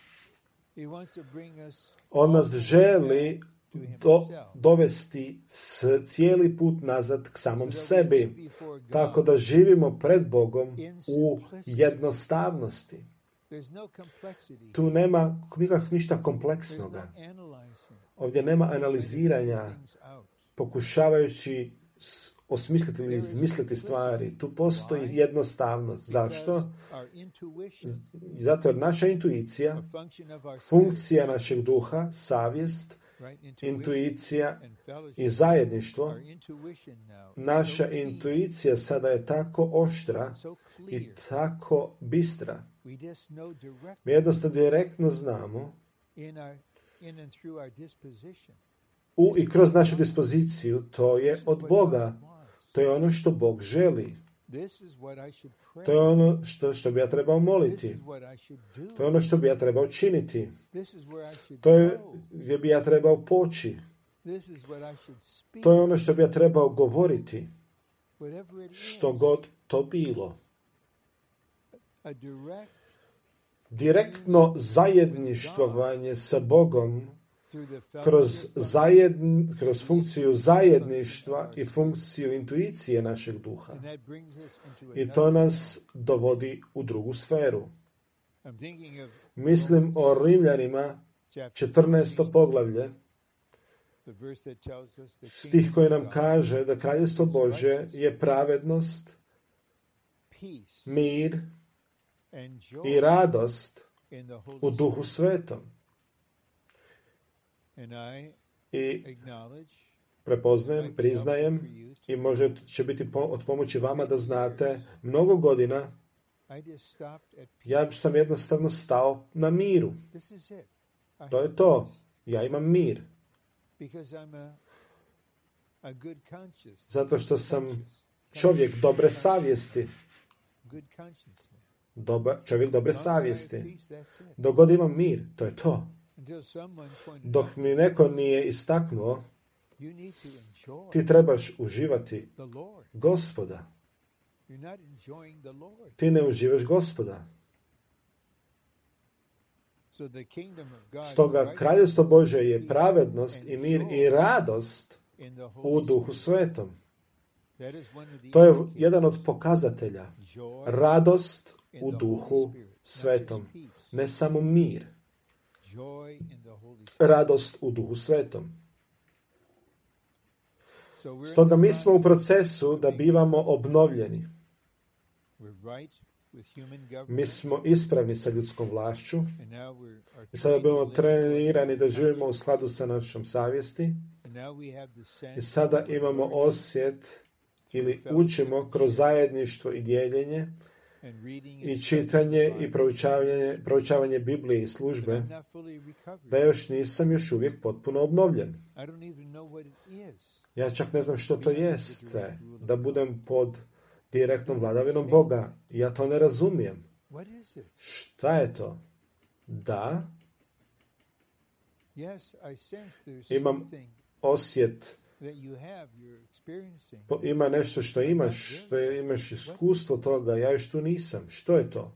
On nas želi dovesti cijeli put nazad k samom sebi, tako da živimo pred Bogom u jednostavnosti. Tu nema ništa kompleksnoga. Ovdje nema analiziranja, pokušavajući osmisliti ili izmisliti stvari. Tu postoji jednostavnost. Zašto? Zato jer naša intuicija, funkcija našeg duha, savjest, intuicija i zajedništvo, naša intuicija sada je tako oštra i tako bistra. Mi jednostavno direktno znamo i kroz našu dispoziciju, to je od Boga. To je ono što Bog želi. To je ono što bi ja trebao moliti. To je ono što bi ja trebao činiti. To je gdje bi ja trebao poći. To je ono što bi ja trebao govoriti. Što god to bilo. Direktno zajedništvovanje sa Bogom kroz funkciju zajedništva i funkciju intuicije našeg duha. I to nas dovodi u drugu sferu. Mislim o Rimljanima 14. poglavlje, stih koji nam kaže da Kraljevstvo Božje je pravednost, mir i radost u Duhu Svetom. I prepoznajem, priznajem i možda će biti od pomoći vama da znate, mnogo godina ja sam jednostavno stao na miru. To je to. Ja imam mir. Zato što sam čovjek dobre savjesti. Čovjek dobre savjesti. Dok god imam mir, to je to. Dok mi neko nije istaknuo, ti trebaš uživati Gospoda. Ti ne uživaš Gospoda. Stoga Kraljevstvo Božje je pravednost i mir i radost u Duhu Svetom. To je jedan od pokazatelja. Radost u Duhu Svetom. Ne samo mir. Radost u Duhu Svetom. Stoga mi smo u procesu da bivamo obnovljeni. Mi smo ispravni sa ljudskom vlašću i sada bivamo trenirani da živimo u skladu sa našom savjesti i sada imamo osjet ili učimo kroz zajedništvo i dijeljenje i čitanje i proučavanje Biblije i službe da još uvijek potpuno obnovljen. Ja čak ne znam što to jeste, da budem pod direktnom vladavinom Boga. Ja to ne razumijem. Šta je to? Da, imam osjet, ima nešto što imaš iskustvo toga, ja još tu nisam. Što je to?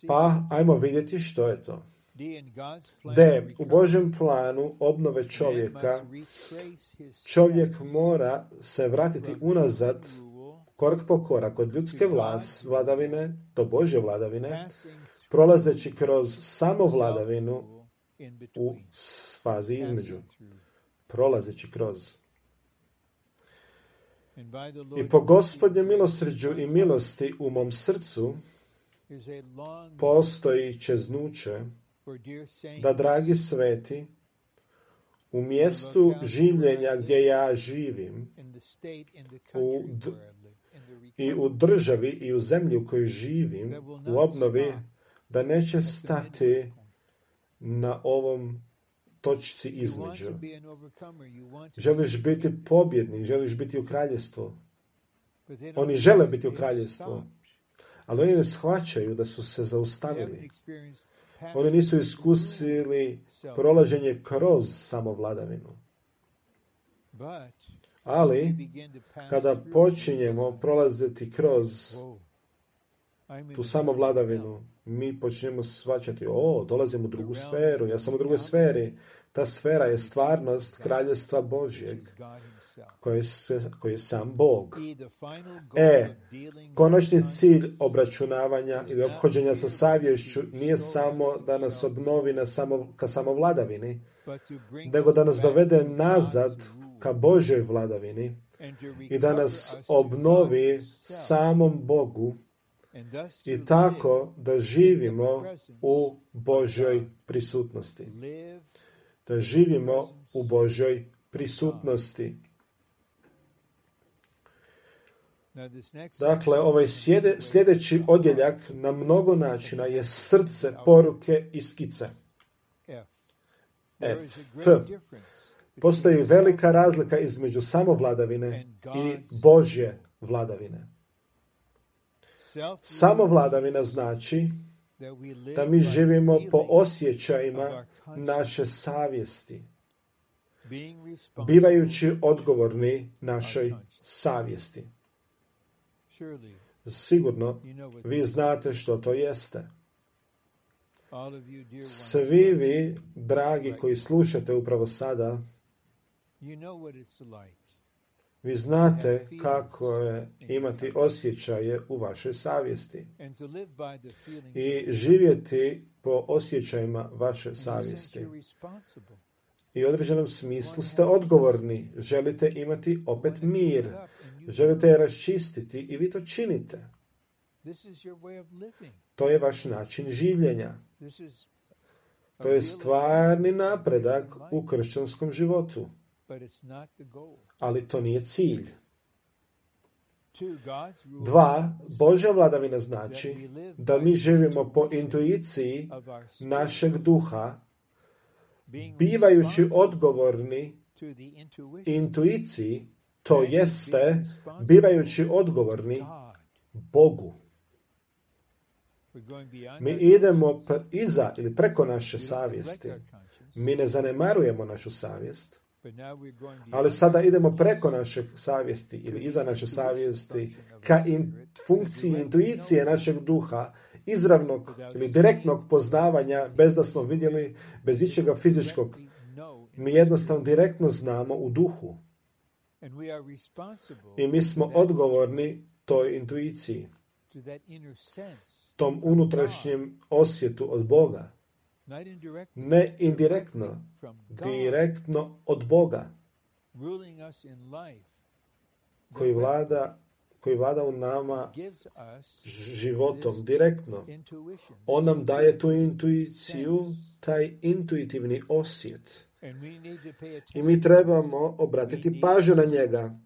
Pa, ajmo vidjeti što je to. U Božjem planu obnove čovjeka, čovjek mora se vratiti unazad korak po korak od ljudske vladavine do Božje vladavine, prolazeći kroz samovladavinu u fazi između. Prolazeći kroz. I po Gospodnjem milosrđu i milosti u mom srcu postoji čeznuće da, dragi sveti, u mjestu življenja gdje ja živim, i u državi i u zemlji u kojoj živim, u obnovi, da neće stati na ovom točci između. Želiš biti pobjednik, želiš biti u kraljevstvu. Oni žele biti u kraljevstvu, ali oni ne shvaćaju da su se zaustavili. Oni nisu iskusili prolaženje kroz samovladavinu. Ali, kada počinjemo prolaziti kroz tu samovladavinu, mi počnemo shvaćati, dolazim u drugu sferu, ja sam u drugoj sferi. Ta sfera je stvarnost Kraljevstva Božjeg, koji je sam Bog. Konačni cilj obračunavanja ili ophođenja sa savješću nije samo da nas obnovi ka samovladavini, nego da nas dovede nazad ka Božjoj vladavini i da nas obnovi samom Bogu i tako da živimo u Božjoj prisutnosti. Da živimo u Božjoj prisutnosti. Dakle, ovaj sljedeći odjeljak na mnogo načina je srce poruke i skice. Postoji velika razlika između samovladavine i Božje vladavine. Samovladavina znači da mi živimo po osjećajima naše savjesti, bivajući odgovorni našoj savjesti. Sigurno, vi znate što to jeste. Svi vi, dragi koji slušate upravo sada, vi znate kako je imati osjećaje u vašoj savjesti i živjeti po osjećajima vaše savjesti. I u određenom smislu ste odgovorni. Želite imati opet mir. Želite je raščistiti i vi to činite. To je vaš način življenja. To je stvarni napredak u kršćanskom životu. Ali to nije cilj. 2. Božja vladavina znači da mi živimo po intuiciji našeg duha, bivajući odgovorni intuiciji, to jeste bivajući odgovorni Bogu. Mi idemo iza ili preko naše savjesti. Mi ne zanemarujemo našu savjest, ali sada idemo preko naše savjesti ili iza naše savjesti ka funkciji intuicije našeg duha, izravnog ili direktnog poznavanja bez da smo vidjeli, bez ičega fizičkog. Mi jednostavno direktno znamo u duhu. I mi smo odgovorni toj intuiciji, tom unutrašnjem osjetu od Boga. Ne indirektno, direktno od Boga, koji vlada u nama životom direktno. On nam daje tu intuiciju, taj intuitivni osjet. I mi trebamo obratiti pažnju na njega.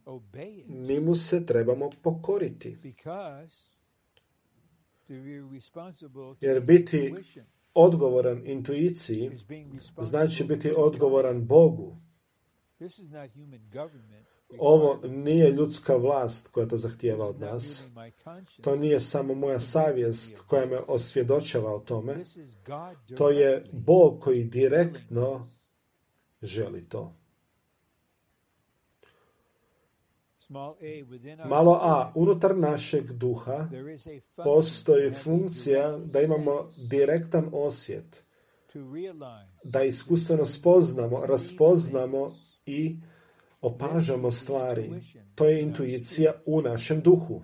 Mi mu se trebamo pokoriti. Jer biti odgovoran intuiciji znači biti odgovoran Bogu. Ovo nije ljudska vlast koja to zahtijeva od nas. To nije samo moja savjest koja me osvjedočava o tome. To je Bog koji direktno želi to. Malo a, unutar našeg duha postoji funkcija da imamo direktan osjet, da iskustveno spoznamo, raspoznamo i opažamo stvari. To je intuicija u našem duhu.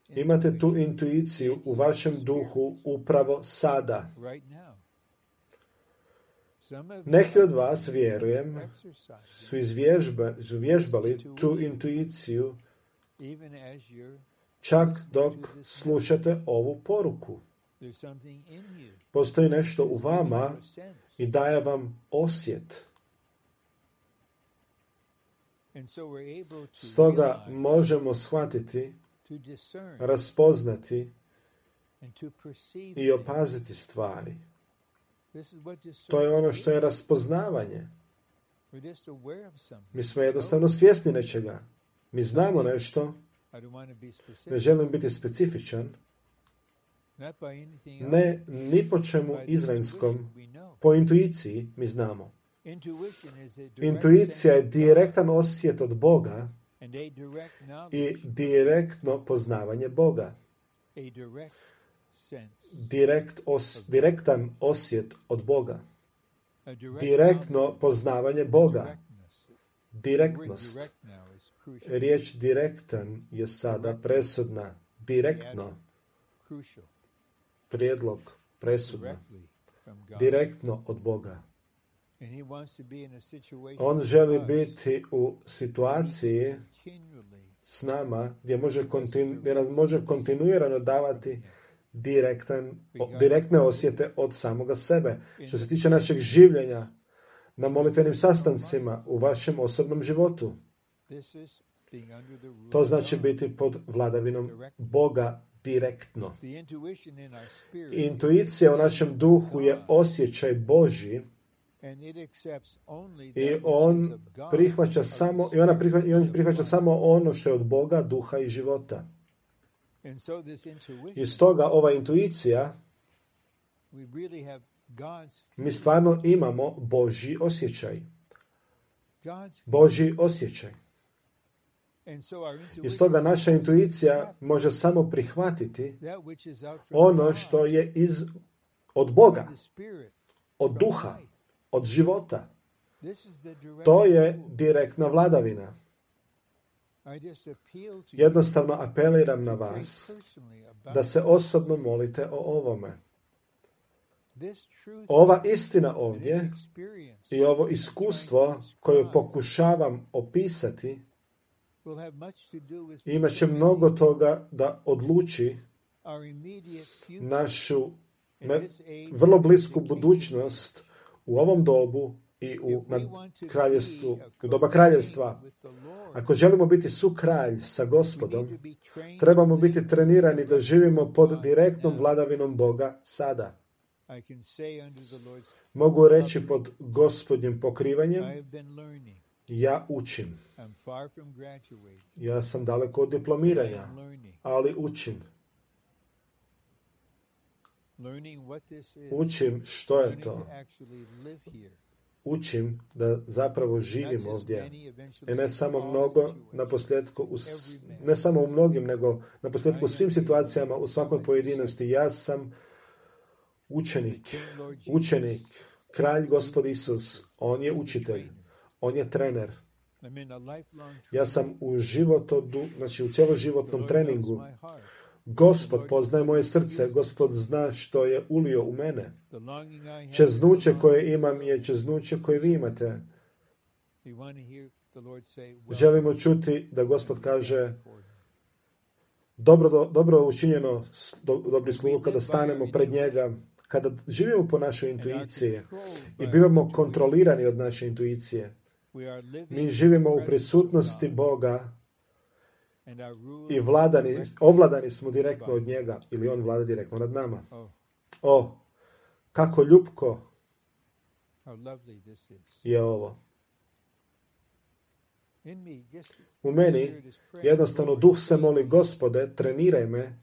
Imate tu intuiciju u vašem duhu upravo sada. Neki od vas, vjerujem, su izvježbali tu intuiciju čak dok slušate ovu poruku. Postoji nešto u vama i daje vam osjet. Stoga možemo shvatiti, raspoznati i opaziti stvari. To je ono što je raspoznavanje. Mi smo jednostavno svjesni nečega. Mi znamo nešto. Ne želim biti specifičan. Ne ni po čemu izvanskom. Po intuiciji mi znamo. Intuicija je direktan osjet od Boga i direktno poznavanje Boga. Direktan osjet od Boga. Direktno poznavanje Boga. Direktnost. Riječ direktan je sada presudna. Direktno. Prijedlog presudna. Direktno od Boga. On želi biti u situaciji s nama gdje može kontinuirano davati direktne osjete od samoga sebe. Što se tiče našeg življenja na molitvenim sastancima u vašem osobnom životu. To znači biti pod vladavinom Boga direktno. Intuicija u našem duhu je osjećaj Božji i on prihvaća samo ono što je od Boga, duha i života. I stoga ova intuicija, mi stvarno imamo Božji osjećaj. Božji osjećaj. I stoga naša intuicija može samo prihvatiti ono što je od Boga, od duha, od života. To je direktna vladavina. Jednostavno apeliram na vas da se osobno molite o ovome. Ova istina ovdje i ovo iskustvo koje pokušavam opisati imat će mnogo toga da odluči našu vrlo blisku budućnost u ovom dobu i u kraljevstvu, u doba kraljevstva. Ako želimo biti sukralj sa Gospodom, trebamo biti trenirani da živimo pod direktnom vladavinom Boga sada. Mogu reći pod Gospodnjim pokrivanjem, ja učim. Ja sam daleko od diplomiranja, ali učim. Učim što je to. Učim da zapravo živim ovdje. I ne samo mnogo, ne samo u mnogim, nego na posljedku u svim situacijama, u svakoj pojedinosti. Ja sam učenik, kralj Gospod Isus. On je učitelj. On je trener. Ja sam u cjeloživotnom treningu. Gospod poznaje moje srce. Gospod zna što je ulio u mene. Čeznuće koje imam je čeznuće koje vi imate. Želimo čuti da Gospod kaže dobro učinjeno, dobri slugu, kada stanemo pred njega, kada živimo po našoj intuiciji i bivamo kontrolirani od naše intuicije. Mi živimo u prisutnosti Boga i ovladani smo direktno od njega, ili on vlada direktno nad nama. Kako ljupko je ovo. U meni jednostavno duh se moli, Gospode, treniraj me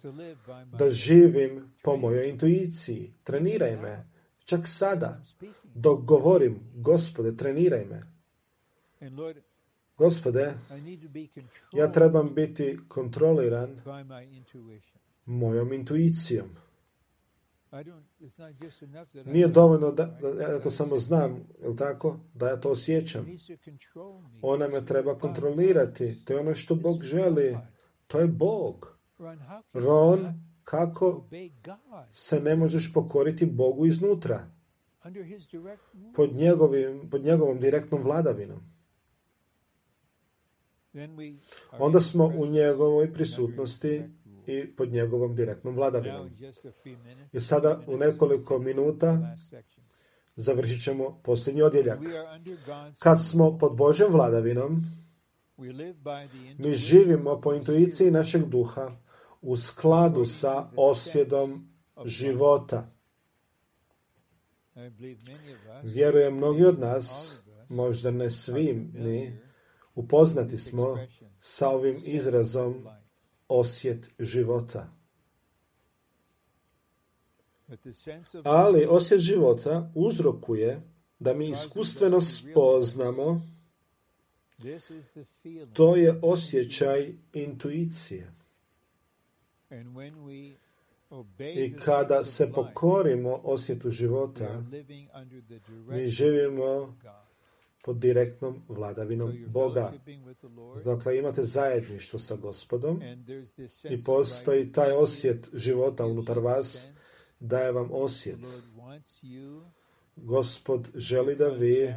da živim po mojoj intuiciji. Treniraj me. Čak sada, dok govorim, Gospode, treniraj me. Gospode, ja trebam biti kontroliran mojom intuicijom. Nije dovoljno da ja to samo znam, je li tako? Da ja to osjećam. Ona me treba kontrolirati. To je ono što Bog želi. To je Bog. Ron, kako se ne možeš pokoriti Bogu iznutra? Pod njegovom direktnom vladavinom. Onda smo u njegovoj prisutnosti i pod njegovom direktnom vladavinom. I sada u nekoliko minuta završit ćemo posljednji odjeljak. Kad smo pod Božjom vladavinom, mi živimo po intuiciji našeg duha u skladu sa osjedom života. Vjerujem, mnogi od nas, možda ne svi ni, upoznati smo sa ovim izrazom osjet života. Ali osjet života uzrokuje da mi iskustveno spoznamo, to je osjećaj intuicije. I kada se pokorimo osjetu života, mi živimo pod direktnom vladavinom Boga. Dakle, imate zajedništvo sa Gospodom i postoji taj osjet života unutar vas, daje vam osjet. Gospod želi da vi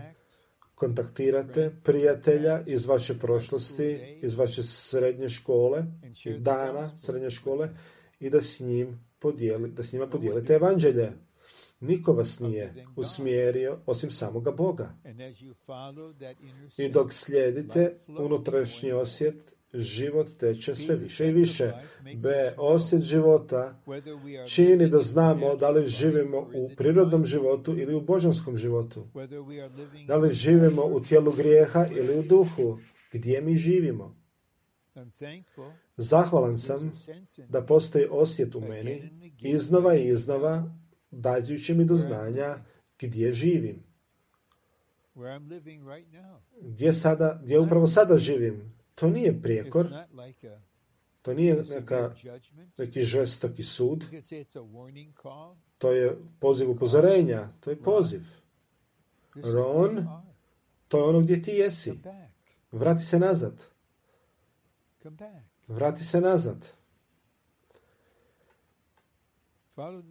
kontaktirate prijatelja iz vaše prošlosti, iz vaše srednje škole, dana srednje škole, i da s njima podijelite evanđelje. Niko vas nije usmjerio osim samoga Boga. I dok slijedite unutrašnji osjet život teče sve više i više. B. Osjet života čini da znamo da li živimo u prirodnom životu ili u božanskom životu. Da li živimo u tijelu grijeha ili u duhu. Gdje mi živimo? Zahvalan sam da postoji osjet u meni, iznova i iznova, dajući mi do znanja gdje živim. Gdje upravo sada živim. To nije prijekor, to nije neki žestoki sud, to je poziv upozorenja, to je poziv. Ron, to je ono gdje ti jesi. Vrati se nazad. Vrati se nazad.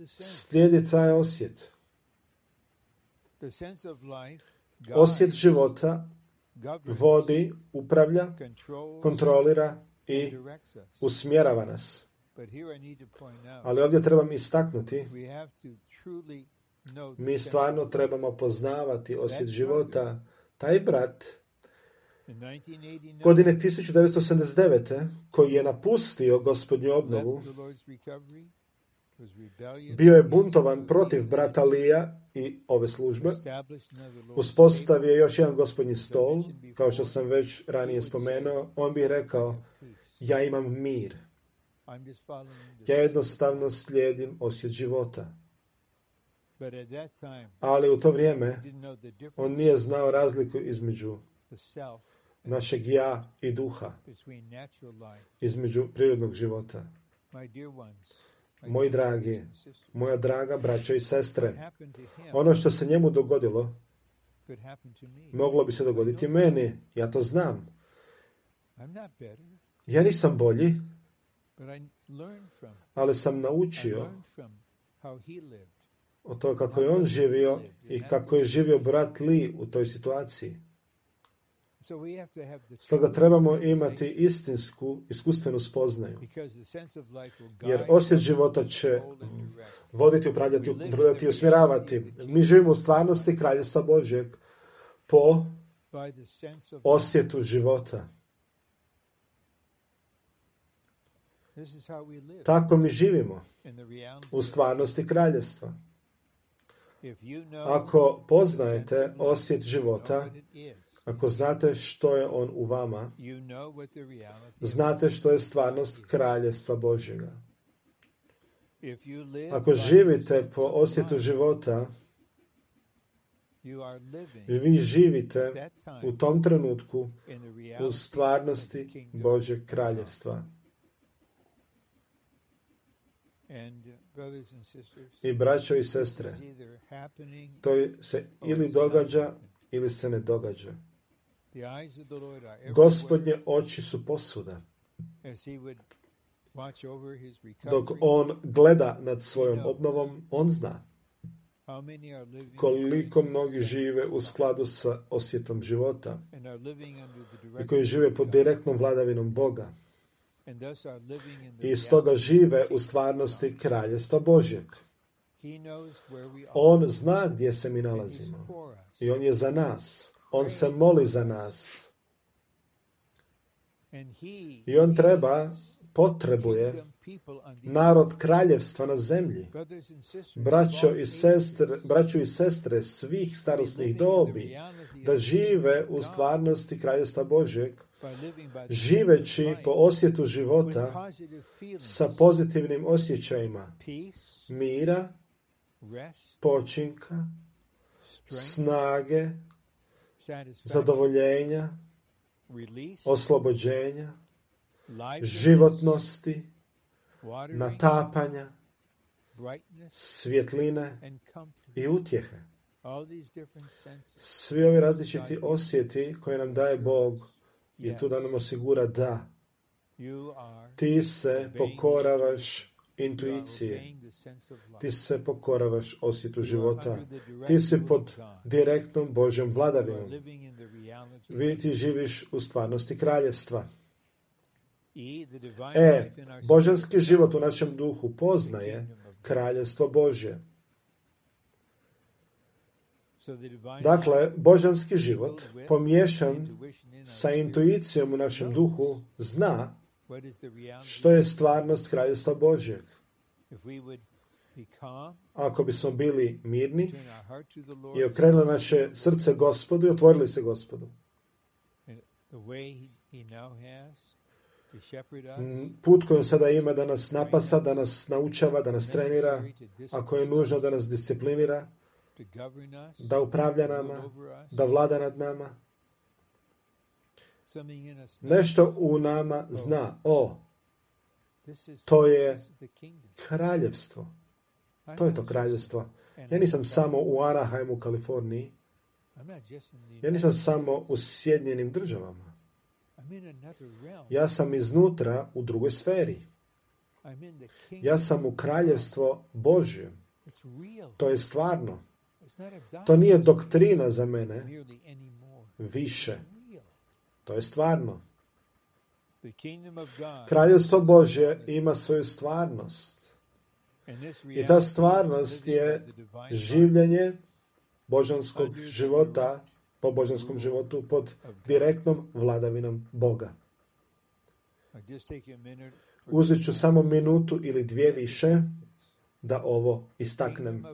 Slijedi taj osjet. Osjet života vodi, upravlja, kontrolira i usmjerava nas. Ali ovdje trebam istaknuti, mi stvarno trebamo poznavati osjet života. Taj brat godine 1989. koji je napustio Gospodnju obnovu, bio je buntovan protiv brata Lija i ove službe. Uspostavio je još jedan Gospodnji stol, kao što sam već ranije spomenuo. On bi rekao, ja imam mir. Ja jednostavno slijedim osjet života. Ali u to vrijeme on nije znao razliku između našeg ja i duha, između prirodnog života. Moji dragi, moja draga braćo i sestre, ono što se njemu dogodilo, moglo bi se dogoditi meni. Ja to znam. Ja nisam bolji, ali sam naučio o to kako je on živio i kako je živio brat Lee u toj situaciji. Stoga trebamo imati istinsku, iskustvenu spoznaju. Jer osjet života će voditi, upravljati, kontrolirati i usmjeravati. Mi živimo u stvarnosti Kraljevstva Božjeg po osjetu života. Tako mi živimo u stvarnosti Kraljevstva. Ako poznajete osjet života, ako znate što je on u vama, znate što je stvarnost Kraljevstva Božjega. Ako živite po osjetu života, vi živite u tom trenutku u stvarnosti Božjeg Kraljevstva. I braćo i sestre, to se ili događa ili se ne događa. Gospodnje oči su posvuda. Dok on gleda nad svojom obnovom, on zna koliko mnogi žive u skladu sa osjetom života i koji žive pod direktnom vladavinom Boga. I stoga žive u stvarnosti Kraljevstva Božjeg. On zna gdje se mi nalazimo. I on je za nas. On se moli za nas. I on potrebuje narod kraljevstva na zemlji. Braćo i sestre svih starosnih dobi, da žive u stvarnosti Kraljevstva Božjeg, živeći po osjetu života sa pozitivnim osjećajima mira, počinka, snage, zadovoljenja, oslobođenja, životnosti, natapanja, svjetline i utjehe. Svi ovi različiti osjeti koje nam daje Bog i tu da nam osigura da ti se pokoravaš intuiciji, ti se pokoravaš osjetu života, ti si pod direktnom Božjom vladavinom. Ti živiš u stvarnosti kraljevstva. Božanski život u našem duhu poznaje kraljevstvo Božje. Dakle, božanski život, pomiješan sa intuicijom u našem duhu, zna što je stvarnost Kraljevstva Božjeg. Ako bismo bili mirni i okrenuli naše srce Gospodu i otvorili se Gospodu, put koji sada ima da nas napasa, da nas naučava, da nas trenira, ako je nužno da nas disciplinira, da upravlja nama, da vlada nad nama. Nešto u nama zna, to je kraljevstvo. To je to kraljevstvo. Ja nisam samo u Anaheimu, Kaliforniji. Ja nisam samo u Sjedinjenim Državama. Ja sam iznutra u drugoj sferi. Ja sam u kraljevstvo Božje. To je stvarno. To nije doktrina za mene više. To je stvarno. Kraljevstvo Božje ima svoju stvarnost. I ta stvarnost je življenje božanskog života, po božanskom životu, pod direktnom vladavinom Boga. Uzet ću samo minutu ili dvije više da ovo istaknem.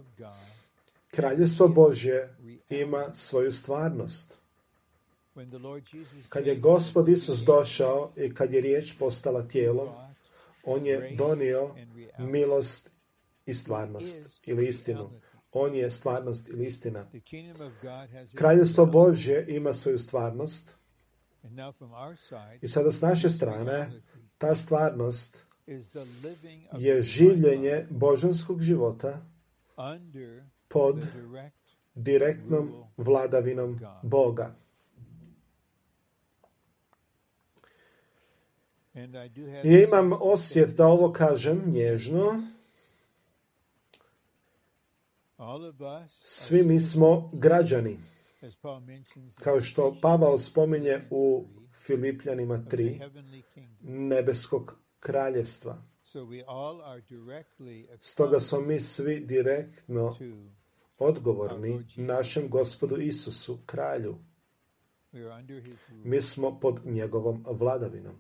Kraljevstvo Božje ima svoju stvarnost. Kad je Gospod Isus došao i kad je riječ postala tijelom, on je donio milost i stvarnost ili istinu. On je stvarnost ili istina. Kraljevstvo Božje ima svoju stvarnost i sada s naše strane ta stvarnost je življenje božanskog života pod direktnom vladavinom Boga. I imam osjet da ovo kažem nježno. Svi mi smo građani. Kao što Pavao spominje u Filipljanima 3, nebeskog kraljevstva. Stoga smo mi svi direktno odgovorni našem Gospodu Isusu, kralju. Mi smo pod njegovom vladavinom.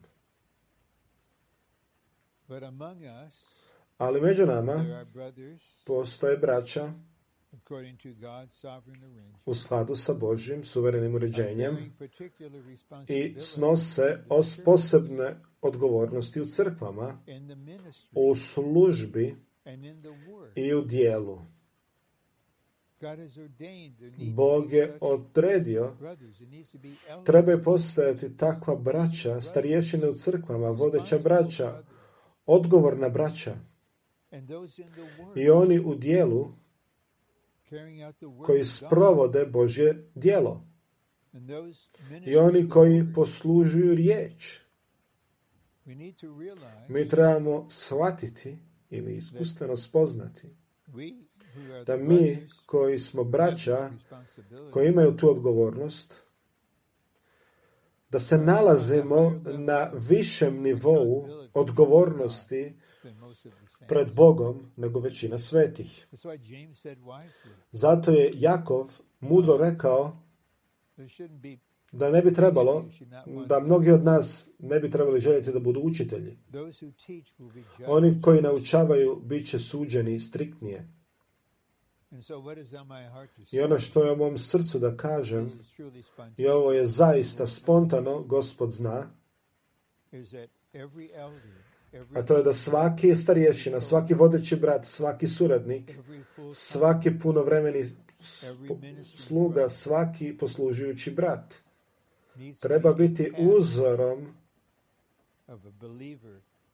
Ali među nama postoje braća u skladu sa Božjim suverenim uređenjem i snose posebne odgovornosti u crkvama, u službi i u dijelu. Bog je odredio, trebaju postojati takva braća, starješine u crkvama, vodeća braća, odgovorna braća i oni u dijelu koji sprovode Božje djelo i oni koji poslužuju riječ. Mi trebamo shvatiti ili iskustveno spoznati da mi koji smo braća, koji imaju tu odgovornost, da se nalazimo na višem nivou odgovornosti pred Bogom nego većina svetih. Zato je Jakov mudro rekao da ne bi trebalo, da mnogi od nas ne bi trebali željeti da budu učitelji. Oni koji naučavaju bit će suđeni striktnije. I ono što je u mom srcu da kažem, i ovo je zaista spontano, Gospod zna, a to je da svaki starješina, svaki vodeći brat, svaki suradnik, svaki punovremeni sluga, svaki poslužujući brat treba biti uzorom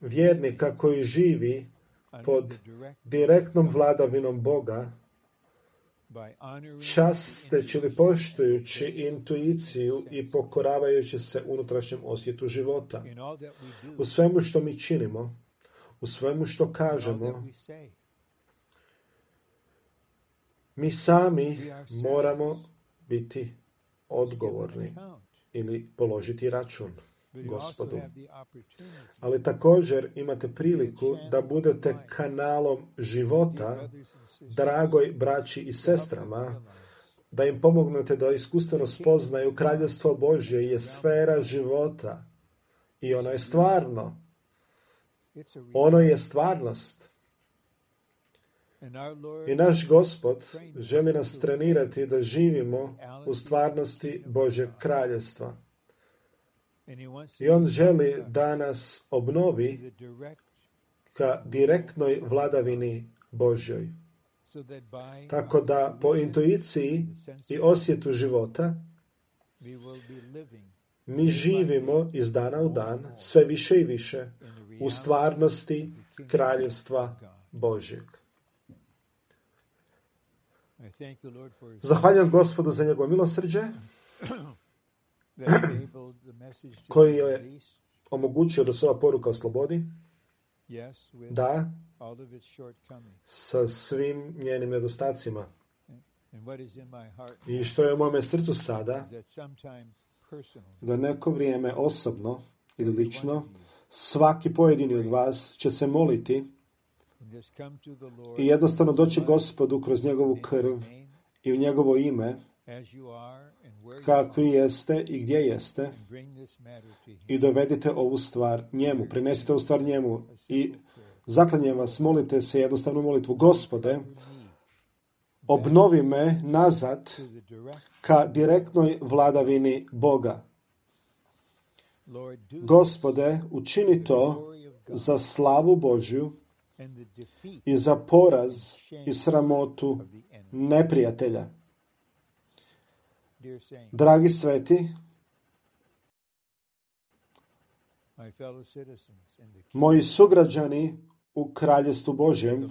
vjernika koji živi pod direktnom vladavinom Boga, časteći ili poštujući intuiciju i pokoravajući se unutrašnjem osjetu života. U svemu što mi činimo, u svemu što kažemo, mi sami moramo biti odgovorni ili položiti račun Gospodu. Ali također imate priliku da budete kanalom života dragoj braći i sestrama, da im pomognete da iskustveno spoznaju kraljevstvo Božje je sfera života i ono je stvarno. Ono je stvarnost. I naš Gospod želi nas trenirati da živimo u stvarnosti Božjeg kraljevstva. I on želi da nas obnovi ka direktnoj vladavini Božjoj. Tako da po intuiciji i osjetu života mi živimo iz dana u dan sve više i više u stvarnosti kraljevstva Božjeg. Zahvaljujem Gospodu za njegovo milosrđe koji je omogućio da se ova poruka oslobodi, da, sa svim njenim nedostacima. I što je u mome srcu sada, da neko vrijeme osobno ili lično, svaki pojedini od vas će se moliti i jednostavno doći Gospodu kroz njegovu krv i u njegovo ime, kakvi jeste i gdje jeste, i dovedite ovu stvar njemu, prinesite ovu stvar njemu i zaklanjem vas, molite se jednostavnu molitvu: Gospode, obnovi me nazad ka direktnoj vladavini Boga. Gospode, učini to za slavu Božju i za poraz i sramotu neprijatelja. Dragi sveti, moji sugrađani u Kraljevstvu Božjem,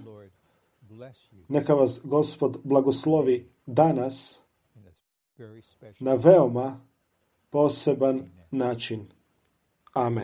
neka vas Gospod blagoslovi danas na veoma poseban način. Amen.